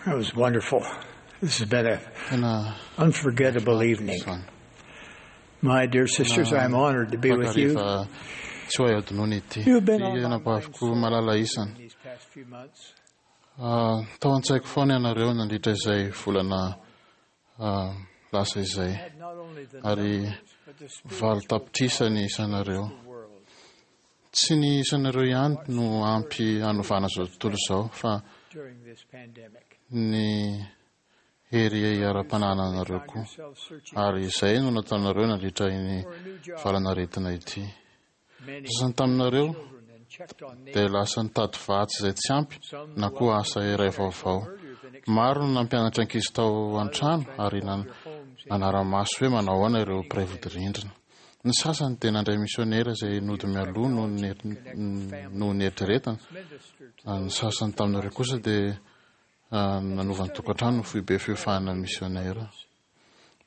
That was wonderful. This has been an unforgettable evening. My dear sisters, I'm honored to be with you. Tsy ho hay adinoina ity. You've been on Ry my anabaviko mind malala isany. these past few months. Tao an-tsaiko foana ianareo nandritra izay volana lasa izay. Had not only the Ary numbers, but the valo spiritual tapitrisa ny isanareo. world. Tsy ny isanareo ihany no ampy hanovana izao tontolo izao fa during this pandemic. ny hery ara-panananareo Found koa. yourself searching Ary izay no nataonareo nandritra iny for a new job. valanaretina ity. Many Sasany taminareo children and checked on dia neighbors. lasa nitady vatsy izay tsy ampy Some na koa asa iray vaovao. earlier than expected. Maro no nampianatra ankizy tao an-trano ary nanara-maso hoe manao ahoana ireo mpiray vodirindrina. Ny sasany dia nandray misionera izay nody mialoha noho ny eritreretana. Ministered to Ny sasany taminareo kosa dia nanova ny tokantrano ho foibe fiofahana misionera.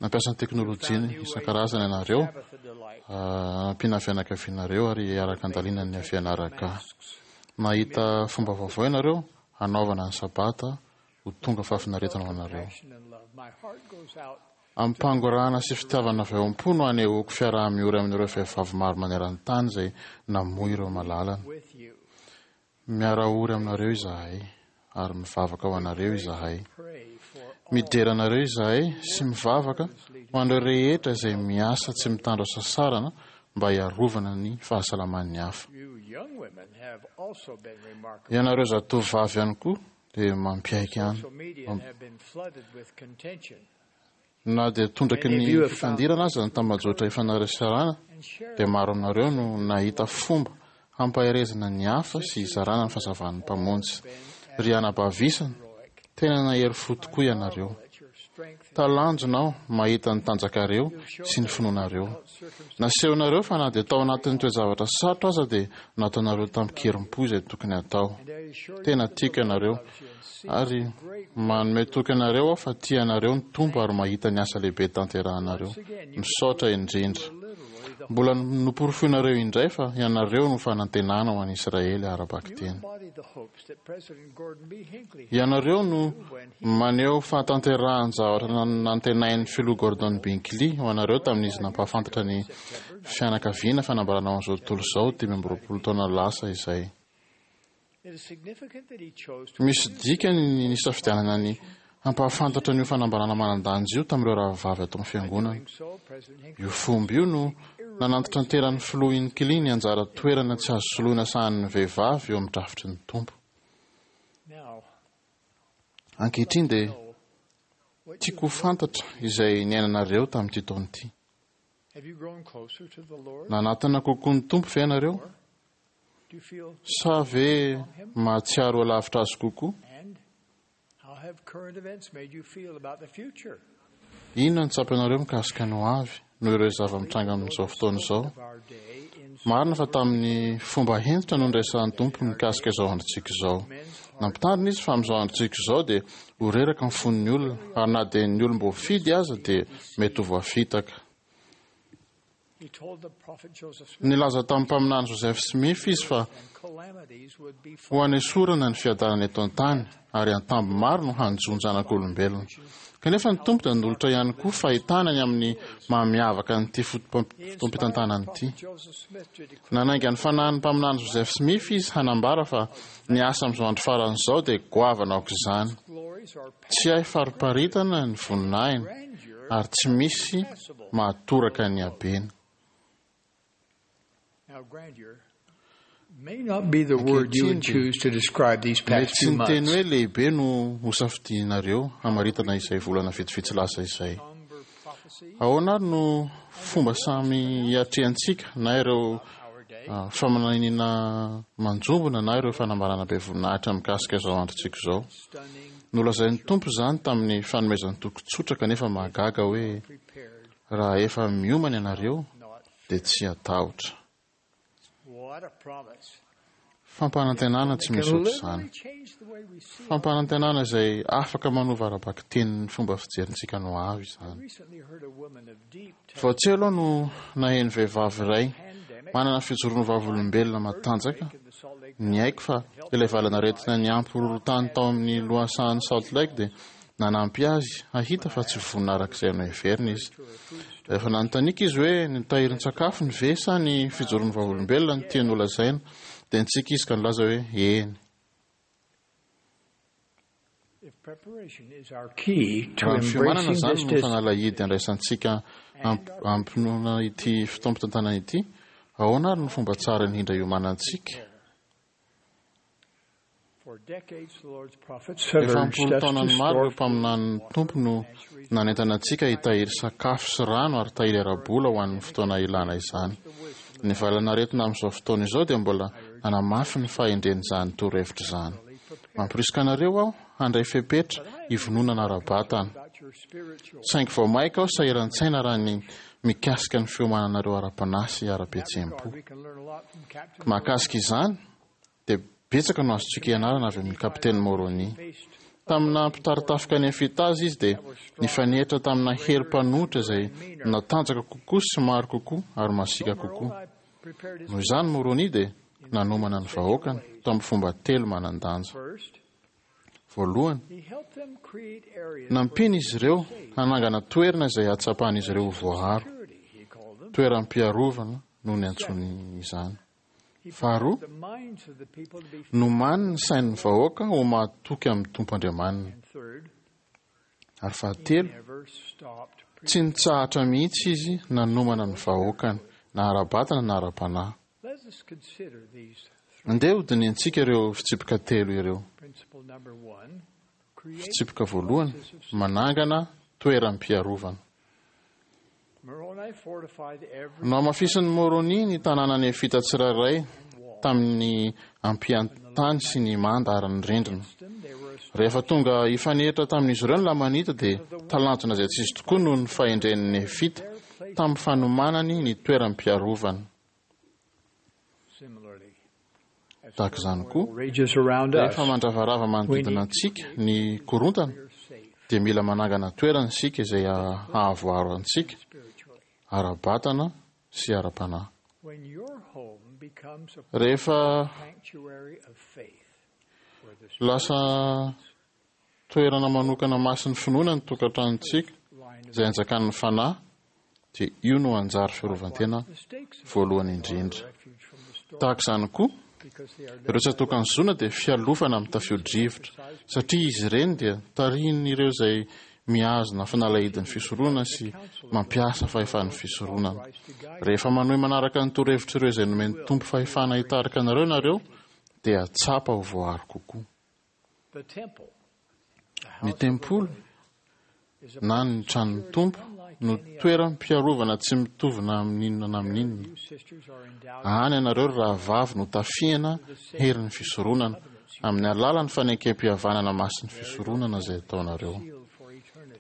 Nampiasa ny teknolojia isan-karazany ianareo, hanampiana ny fianakavianareo ary hiaraka handalina ny fianaraka. Nahita fomba vaovao ianareo hanaovana ny Sabata ho tonga fahafinaretana ho anareo. Amim-pangorahana sy fitiavana avy ao am-po no anehoako fiaraha-miory amin'ireo vehivavy maro maneran-tany izay namoy ireo malalany. Miara-ory aminareo izahay ary mivavaka ho anareo izahay. Midera anareo izahay sy mivavaka ho an'ireo rehetra izay miasa tsy mitandro hasasarana mba hiarovana ny fahasalaman'ny hafa. Ianareo zatovovavy ihany koa dia mampiaiky ihany. Na dia tondraky ny fifandirana aza ny tambajotra ifanarasarana, dia maro aminareo no nahita fomba hampaherezana ny hafa sy hizarana ny fahazavan'ny Mpamonjy. Ry anabavy isany, tena nahery fo tokoa ianareo. Talanjona aho mahita ny tanjakareo sy ny finoanareo. Nasehonareo fa na dia tao anatin'ny toe-javatra sarotra aza dia nataonareo tamin-kerim-po izay tokony hatao. Tena tiako ianareo. Ary manome toky anareo aho fa tia anareo ny Tompo ary mahita ny asa lehibe tanterahanareo. Misaotra indrindra. Mbola noporofoinareo indray fa ianareo no fanantenana ho an'i Israely ara-bakiteny. Ianareo no maneho fahatanterahan-javatra nantenain'ny Filoha Gordon B. Hinckley ho anareo tamin'izy nampahafantatra ny fianakaviana fanambarana ho an'izao tontolo izao 25 taona lasa izay. Misy dikany ny nisafidianana ny hampahafantatra an'io fanambarana manan-danja io tamin'ireo rahavavy ato amin'ny Fiangonana. Io fomba io no nanantitranteran'ny Filoha Hinckley ny anjara toerana tsy azo soloina sahanin'ny vehivavy eo amin'ny drafitry ny Tompo. Ankehitriny dia tiako ho fantatra izay niainanareo tamin'ity taona ity. Nanatona kokoa ny Tompo ve ianareo? Sa ve mahatsiaro ho lavitra Azy kokoa? Inona no tsapanareo mikasika ny hoavy noho ireo zava-mitranga amin'izao fotoana izao? Marina fa tamin'ny fomba hentitra no niresahan'ny Tompo mikasika izao androntsika izao. Nampitandrina Izy fa amin'izao androntsika izao dia ho reraka ny fon'ny olona, ary na dia ny olom-boafidy aza dia mety ho voafitaka. Nilaza tamin'ny mpaminany Joseph Smith izy fa ho hanesorana ny fiadanana eto an-tany ary antambo maro no hanjo ny zanak'olombelona. Kanefa ny Tompo dia nanolotra ihany koa fahitana ny amin'ny maha-miavaka an'ity fotoampitantanana ity. Nanainga ny fanahin'ny mpaminany Joseph Smith izy hanambara fa ny asa amin'izao andro farany izao dia goavana aok'izany. Tsy hay fariparitana ny voninahiny ary tsy misy mahatoraka ny habeny. Ankehitriny dia mety tsy ny teny hoe lehibe no hosafidianareo hamaritana izay volana vitsivitsy lasa izay. Ahoana ary no fomba samy hiatrehantsika na ireo faminaniana manjombona na ireo fanambarana be voninahitra mikasika izao androntsika izao? Nolazain'ny Tompo izany tamin'ny fanomezan-toky tsotra kanefa mahagaga hoe, Raha efa miomana ianareo, dia tsy hatahotra. Fampanantenana tsy misy ohatr'izany. Fampanantenana izay afaka manova ara-bakiteny ny fomba fijerintsika ny hoavy izany. Vao tsy ela aho no naheno vehivavy iray manana fijoroana vavolombelona matanjaka niaiky fa ilay valanaretina niampy horohorontany tao amin'ny lohasahan'i Salt Lake dia nanampy azy hahita fa tsy vonona araka izay noheveriny izy. Rehefa nanontaniako izy hoe ny tahirin-tsakafony ve sa ny fijoroany vavolombelona no tiany holazaina, dia nitsiky izy ka nilaza hoe eny. Raha ny fiomanana izany no fanalahidy andraisantsika am-pinoana ity fotoam-pitantanana ity, ahoana ary no fomba tsara indrindra hiomanantsika? Efa am-polo taonany maro ireo mpaminanin'ny Tompo no nanentana antsika hitahiry sakafo sy rano ary tahiry ara-bola ho an'ny fotoana ilana izany. Ny valanaretina amin'izao fotoana izao dia mbola nanamafy ny fahendren'izany torohevitra izany. Mamporisika anareo aho handray fepetra hivononana ara-batana. Saingy vao mainka aho sahiran-tsaina raha ny mikasika ny fiomananareo ara-panahy sy ara-pihetseham-po. Mahakasika izany, dia betsaka no azontsika ianarana avy amin'ny Kapiteny Moroni. Tamin'ny naha mpitari-tafika Nefita azy izy dia nifanehitra tamina hery mpanohitra izay natanjaka kokoa sy maro kokoa ary masiaka kokoa. Noho izany Môrônia dia nanomana ny vahoakany tamin'ny fomba telo manan-danja. Voalohany, nampiany izy ireo hanangana toerana izay hahatsapan'izy ireo ho voaaro, toeram-piarovana no niantsoany izany. Faharoa, nomany ny sain'ny vahoaka ho mahatoky amin'ny Tompo Andriamaniny. Ary fahatelo, tsy nitsahatra mihitsy izy nanomana ny vahoakany, na ara-batana na ara-panahy. Andeha hodinihintsika ireo fitsipika telo ireo. Fitsipika voalohany, manangana toeram-piarovana. Nohamafisin'i Môrônia ny tanàna nefita tsirairay tamin'ny ampiantany sy ny manda ary ny rindrina. Rehefa tonga hifanehitra tamin'izy ireo ny Lamanita dia talanjona izay tsy izy tokoa noho ny fahendren'ny Nefita tamin'ny fanomanany ny toeram-piarovana. Tahaka izany koa, rehefa mandravarava manodidina antsika ny korontana, dia mila manangana toerana isika izay hahavoaro antsika ara-batana sy ara-panahy. Rehefa lasa toerana manokana masin'ny finoana ny tokantranontsika izay anjakan'ny fanahy dia io no anjary fiarovan-tena voalohany indrindra. Tahaka izany koa, ireo tsatòkan'ny zona dia fialofana amin'ny tafio-drivotra satria izy ireny dia tarihin'ireo izay mihazona fanalahidin'ny fisoronana sy mampiasa fahefan'ny fisoronana. Rehefa manohy manaraka ny torohevitr'ireo izay nomen'ny Tompo fahefana hitarika anareo ianareo dia tsapa ho voaaro kokoa. Ny tempoly na ny tranon'ny Tompo no toeram-piarovana tsy mitovy na amin'inona na amin'inona. Any ianareo ry rahavavy no tafihana herin'ny fisoronana amin'ny alalan'ny fanekempihavanana masin'ny fisoronana izay ataonareo.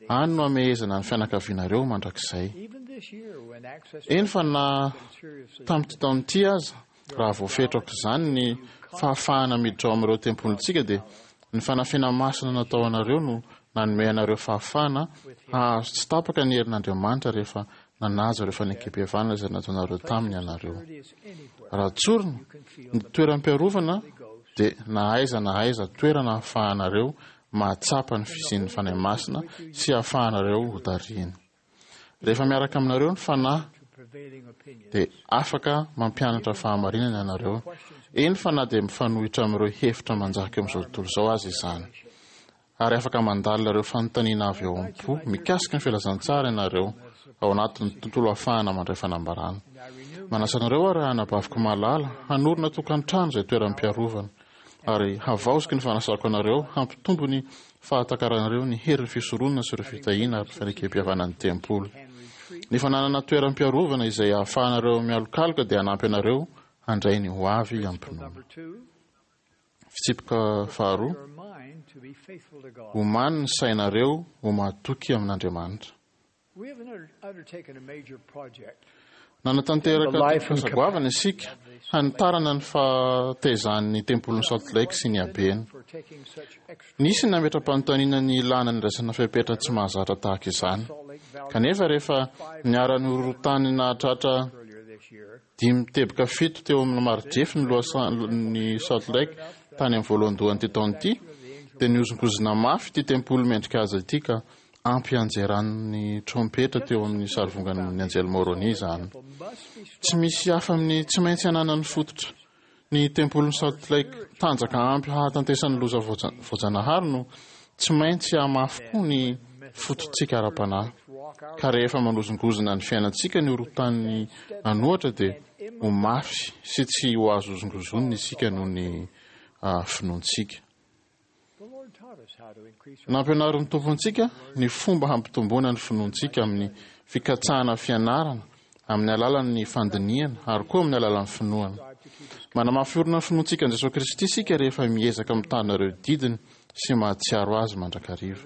Any no hamehezana ny fianakavianareo mandrakizay. Eny fa na tamin'ity taona ity aza, Raha voafetra aok'izany ny fahafahana miditra ao amin'ireo tempolintsika dia ny fanafihana masina natao anareo no nanome anareo fahafahana hahazo tsy tapaka ny herin'Andriamanitra rehefa nanaja ireo fanekempihavanana izay nataonareo taminy ianareo. Raha tsorina, ny toeram-piarovana dia na aiza na aiza toerana ahafahanareo mahatsapa ny fisian'ny Fanahy Masina sy ahafahanareo hotarihina. Rehefa miaraka aminareo ny Fanahy, dia afaka mampianatra fahamarinana ianareo, eny fa na dia mifanohitra amin'ireo hevitra manjaka eo amin'izao tontolo izao aza izany. Ary afaka mandalina ireo fanontaniana avy ao am-po mikasika ny filazantsara ianareo, ao anatin'ny tontolo ahafahana mandray fanambarana. Manasa anareo aho ry anabaviko malala, hanorina tokantrano izay toeram-piarovana. Ary havaoziko ny fanasako anareo hampitombo ny fahatakaranareo ny herin'ny fisoronana sy ireo fitahiana ary fanekem-pihavanan'ny tempoly. Ny fananana toeram-piarovana izay ahafahanareo mialokaloka dia hanampy anareo handray ny ho avy am-pinoana. Fitsipika faharoa, Omany ny sainareo ho mahatoky amin'Andriamanitra. Nanatanteraka tetikasa goavana isika hanitarana ny fahatezan'ny tempolin'i Salt Lake sy ny habeny. Nisy ny nametra-panontaniana ny ilàna ny raisana fepetra tsy mahazatra tahaka izany. Kanefa rehefa niara-nihorohoro-tany nahatratra 5.7 teo amin'ny maridrefy ny lohasahan'i Salt Lake tany amin'ny voalohandohan'ity taona ity, dia nihozongozona mafy ity tempoly mendrika azy ity ka ampianjeran'ny trompetra teo amin'ny sarivongan'ny anjely Môrônia izany. Tsy misy hafa amin'ny tsy maintsy ananan'ny fototra ny tempolin'i Salt Lake tanjaka ampy hahatantesan'ny loza voajanahary no tsy maintsy hahamafy koa ny fototsika ara-panahy. Ka rehefa manozongozona ny fiainantsika ny horohontan'ny an'ohatra dia ho mafy sy tsy ho azo hozongozonina isika noho ny finoantsika. Nampianarin'ny Tompo antsika ny fomba hampitomboana ny finoantsika amin'ny fikatsahana fianarana, amin'ny alalan'ny fandinihana ary koa amin'ny alalan'ny finoana. Manamafy orina ny finoantsika an'i Jesoa Kristy isika rehefa miezaka mitana ireo didiny sy mahatsiaro Azy mandrakariva.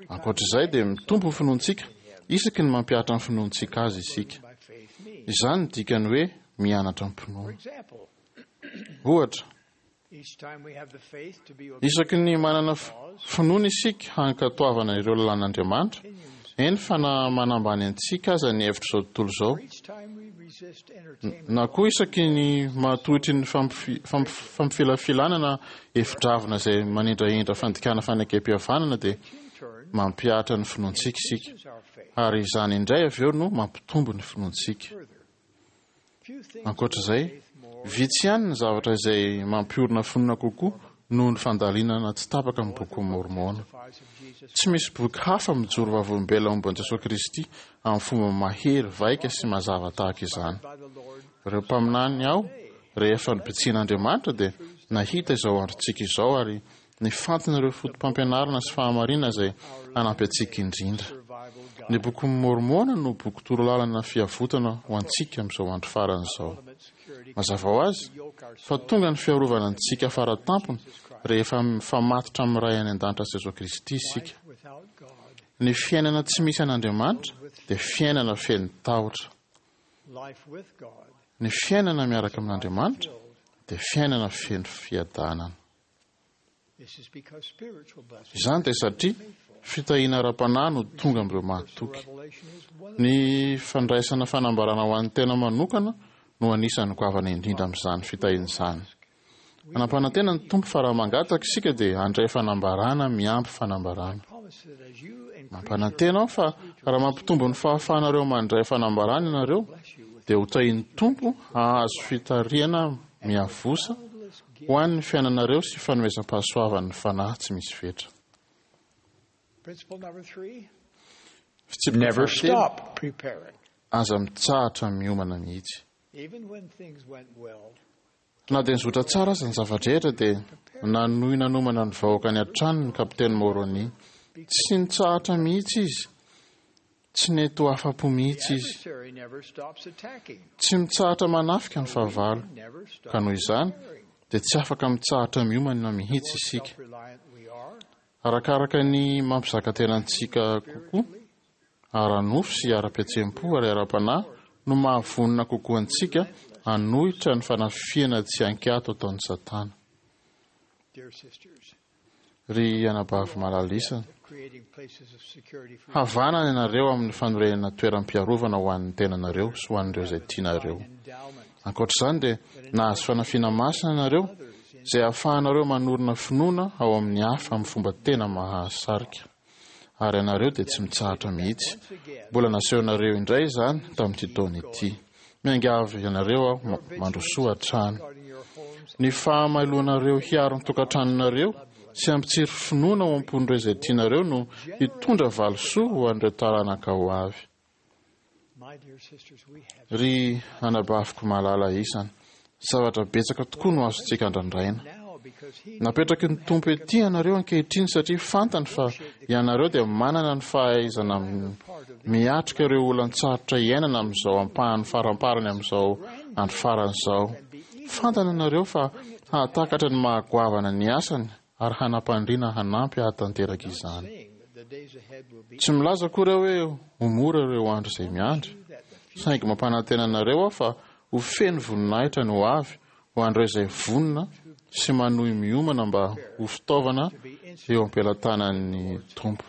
Ankoatra izay dia mitombo ny finoantsika isaky ny mampihatra ny finoantsika Azy isika. Izany no dikan'ny hoe mianatra am-pinoana. Ohatra. Isaky ny manana finoana isika hankatoavana ireo lalàn'Andriamanitra, eny fa na manambany antsika aza ny hevitr'izao tontolo izao, na koa isaky ny mahatohitry ny fampifilafilana na hevi-dravina izay manindrahindra fandikana fanekem-pihavanana dia mampihatra ny finoantsika isika, ary izany indray avy eo no mampitombo ny finoantsika. Ankoatra izay, vitsy ihany ny zavatra izay mampiorina finoana kokoa noho ny fandalinana tsy tapaka ny Bokin'i Môrmôna. Tsy misy boky hafa mijoro vavolombelona momba an'i Jesoa Kristy amin'ny fomba mahery vaika sy mazava tahaka izany. Ireo mpaminany ao, rehefa nobitsihin'Andriamanitra, dia nahita izao androntsika izao ary nifantina ireo fotopampianarana sy fahamarinana izay hanampy antsika indrindra. Ny Bokin'i Môrmôna no boky torolalana fiavotana ho antsika amin'izao andro farany izao. Mazava ho azy fa tonga ny fiarovana antsika faratampony rehefa mifamatotra amin'ny Ray any An-danitra sy Jesoa Kristy isika. Ny fiainana tsy misy an'Andriamanitra dia fiainana feno tahotra. Ny fiainana miaraka amin'Andriamanitra dia fiainana feno fiadanana. Izany dia satria fitahiana ara-panahy no tonga amin'ireo mahatoky. Ny fandraisana fanambarana ho an'ny tena manokana no anisan'ny goavana indrindra amin'izany fitahiana izany. Nampanantena ny Tompo fa raha mangataka isika dia handray fanambarana miampy fanambarana. Mampanantena aho fa raha mampitombo ny fahafahanareo mandray fanambarana ianareo dia ho tahian'ny Tompo hahazo fitarihana miavosa ho an'ny fiainanareo sy fanomezam-pahasoavan'ny Fanahy tsy misy fetra. Fitsipika Never fahatelo, stop preparing. aza mitsahatra miomana mihitsy. Even when things went well, Na dia nizotra tsara aza ny zava-drehetra dia nanohy nanomana ny vahoakany hatrany ny kapiteny Moroni. Tsy nitsahatra mihitsy izy. Tsy nety ho afa-po mihitsy izy. adversary never stops attacking. Tsy mitsahatra manafika ny fahavalo, ka noho izany dia tsy afaka mitsahatra miomana mihitsy isika. Reliant we are, Arakaraka ny mampizaka tena antsika kokoa, ara-nofo sy ara-pihetseham-po ary ara-panahy no mahavonona kokoa antsika hanohitra ny fanafihana tsy an-kiato ataon'i Satana. dear sisters, Ry anabavy malala isany, creating places of security for havanana ianareo amin'ny fanorenana toeram-piarovana ho an'ny tenanareo sy ho an'ireo izay tianareo. endowment. Ankoatra izany dia nahazo fanafiana masina ianareo izay ahafahanareo manorina finoana ao amin'ny hafa amin'ny fomba tena mahasarika. Ary ianareo dia tsy mitsahatra mihitsy. Mbola nasehonareo indray izany tamin'ity taona ity. Miangavy ianareo aho mandrosoa hatrany. Ny fahamailoanareo hiaro ny tokantranonareo sy hampitsiry finoana ao am-pon'ireo izay tianareo no hitondra valisoa ho an'ireo taranaka ho avy. My dear sisters, we have Ry anabaviko malala isany, zavatra betsaka tokoa no azontsika andrandraina. now because he Napetraky ny Tompo ety ianareo ankehitriny satria fantany fa ianareo dia manana ny fahaizana miatrika ireo olan-tsarotra iainana amin'izao ampahany faramparany amin'izao andro farany izao. Fantany ianareo fa hahatakatra ny mahagoavana ny asany ary hanam-pandriana hanampy hahatanteraka izany. saying that the days ahead will be Tsy milaza akory aho hoe ho mora ireo andro izay miandry, saingy mampanantena anareo aho fa ho feno voninahitra ny ho avy ho an'ireo izay vonona sy manohy miomana mba ho fitaovana eo am-pelatanan'ny Tompo.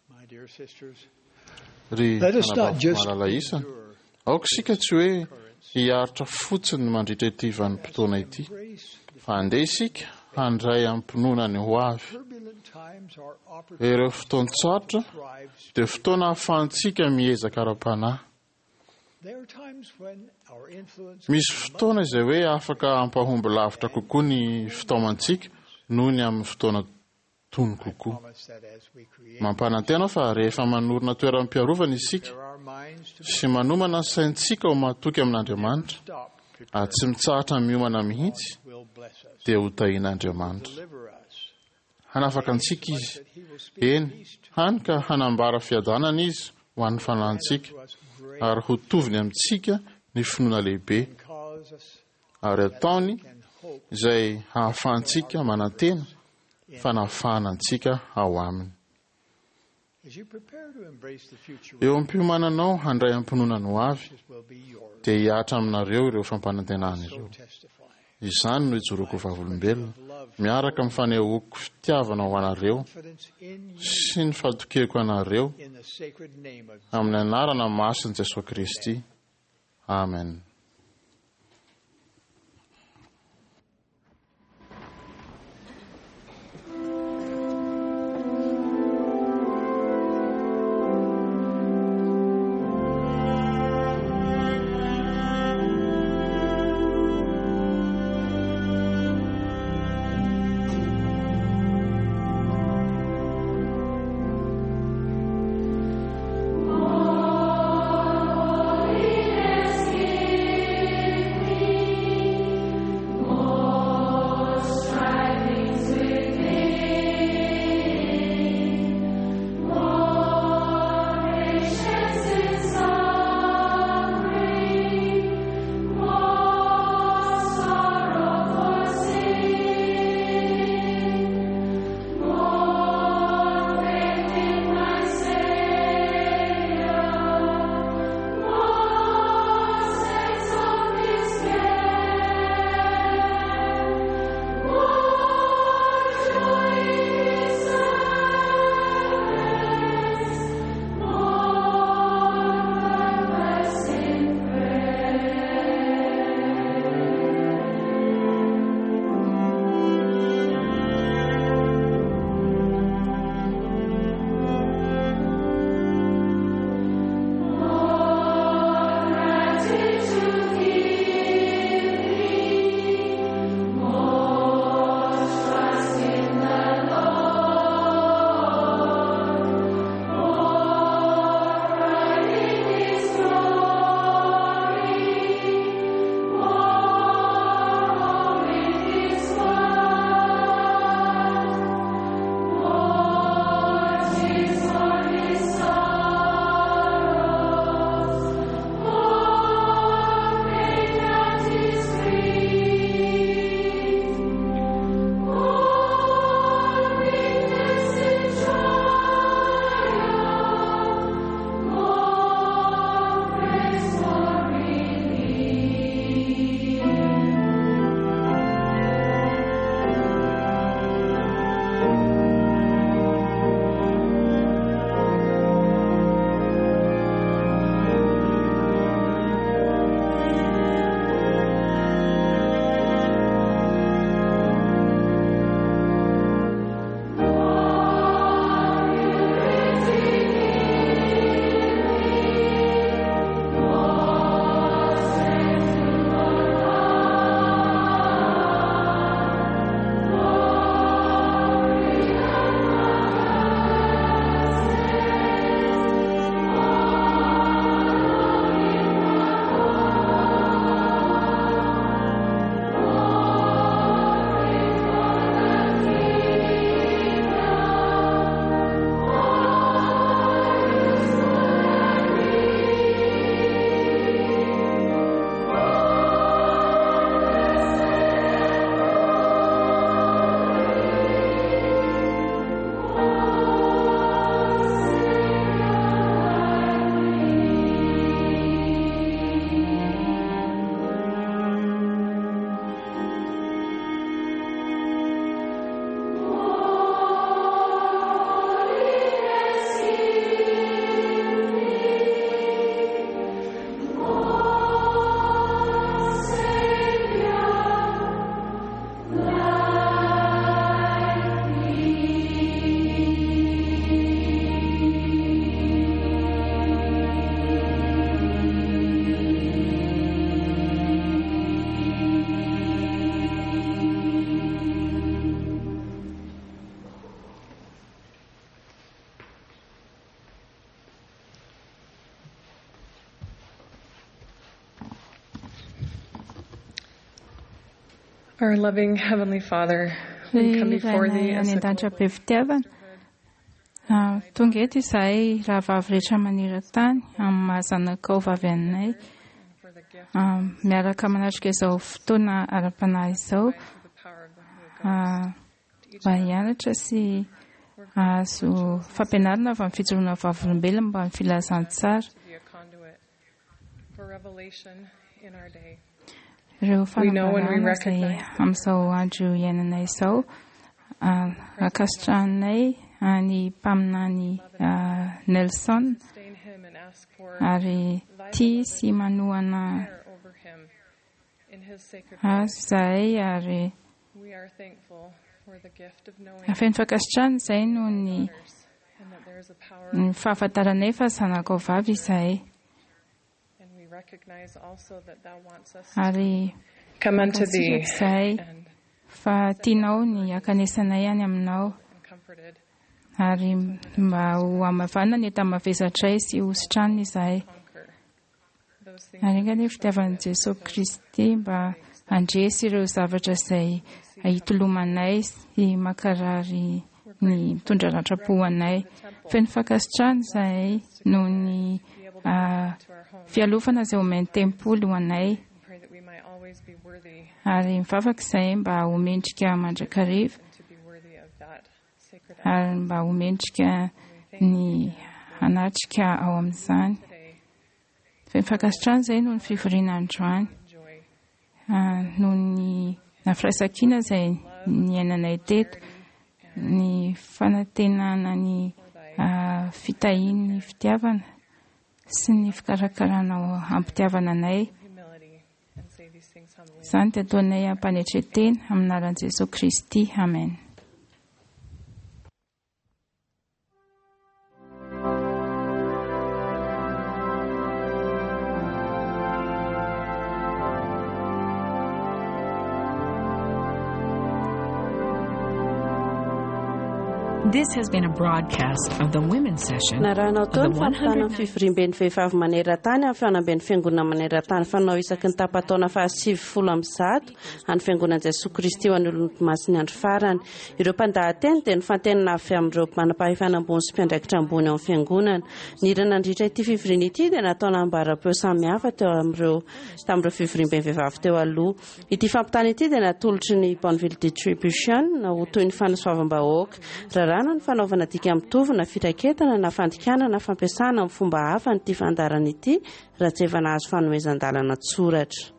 my dear sisters. Ry Let us not anabavy just malala isany, aoka isika tsy hoe hiaritra fotsiny mandritra ity vanim-potoana ity, fa andeha isika handray am-pinoana ny ho avy. Turbulent times are opportunities Ireo fotoan-tsarotra to thrive. dia fotoana ahafahantsika miezaka ara-panahy. There are times when our influence Misy fotoana izay hoe afaka hampahomby lavitra kokoa ny fitaomantsika noho ny amin'ny fotoana tony kokoa. promise that as we create Mampanantena aho fa rehefa manorina toeram-piarovana isika our minds to sy manomana ny saintsika ho mahatoky amin'Andriamanitra stop, ary tsy mitsahatra miomana mihitsy will bless us, dia ho tahian'Andriamanitra. deliver us, Hanafaka antsika izy, that he will speak eny, hany ka hanambara fiadanana izy ho an'ny fanahintsika to us great ary ho toviny amintsika ny finoana lehibe and cause us ary ataony and hope izay hahafahantsika manantena fanafahana antsika ao aminy. Eo am-piomananao handray am-pinoana ny hoavy, dia hihatra aminareo ireo fampanantenana ireo. Izany no ijoroako ho vavolombelona, miaraka amin'ny fanehoako fitiavana ho anareo sy ny fatokiako anareo, amin'ny anarana masin'i Jesoa Kristy. Amen. Our loving Heavenly Father, we come Ry before Rainay Thee any as a an-danitra be fitiavana, tonga eto izahay rahavavy rehetra maneran-tany amin'ny maha zanakao vavy anay, miaraka manatrika izao fotoana ara-panahy izao, mba hianatra sy Hahazo fampianarana avy amin'ny fijoroana vavolombelona momba ny filazantsara. Ireo fanambarana izay amin'izao andro iainanay izao, ankasitrahanay ny mpaminany Nelson ary tia sy manohana azy izahay ary Feno fankasitrahana izahay noho ny ny fahafantaranay fa zanakao vavy izahay. Ary mankasitraka izahay fa tianao ny hakanesanay any aminao ary mba ho hamavanina ny enta-mavesatray sy ho sitranina izahay. Ary enga anie ny fitiavan'i Jesoa Kristy mba handresy ireo zavatra izay hitolomanay sy mankarary ny mitondra ratram-po ho anay. Feno fankasitrahana izahay noho ny fialofana izay omen'ny tempoly ho anay. Ary mivavaka izahay mba ho mendrika mandrakariva ary mba ho mendrika ny hanatrika ao amin'izany. Feno fankasitrahana izay noho ny fivoriana androany, noho ny firaisankina izay niainanay teto, ny fanantenana ny fitahian'ny fitiavana sy ny fikarakarana am-pitiavana anay. Izany dia ataonay am-panetren-tena amin'ny anaran'i Jesoa Kristy. Amen. This has been a broadcast of the women's session Narahanao of teo the ny fampitana ny 109th fivoriamben'ny vehivavy maneran-tany amin'ny fihaonamben'ny fiangonana maneran-tany fanao isaky ny tapa-taona faha-190 an'ny Fiangonan'i Jesoa Kristy ho an'ny Olomasin'ny Andro Farany. Ireo mpandahateny dia nofantenina avy amin'ireo manam-pahefana ambony sy mpiandraikitra ambony ao amin'ny Fiangonana. Ny hira nandritra ity fivoriana ity dia natao nambaram-peo samihafa teo amin'ireo tamin'ireo fivoriamben'ny vehivavy teo aloha. Ity fampitana ity dia natolotry ny Bonneville Distribution ho toy ny fanasoavam-bahoaka. Raràna ny fanaovana dika mitovy na firaketana na fandikana na fampiasana amin'ny fomba hafa an'ity fandaharana ity raha tsy efa nahazo fanomezan-dalana an-tsoratra.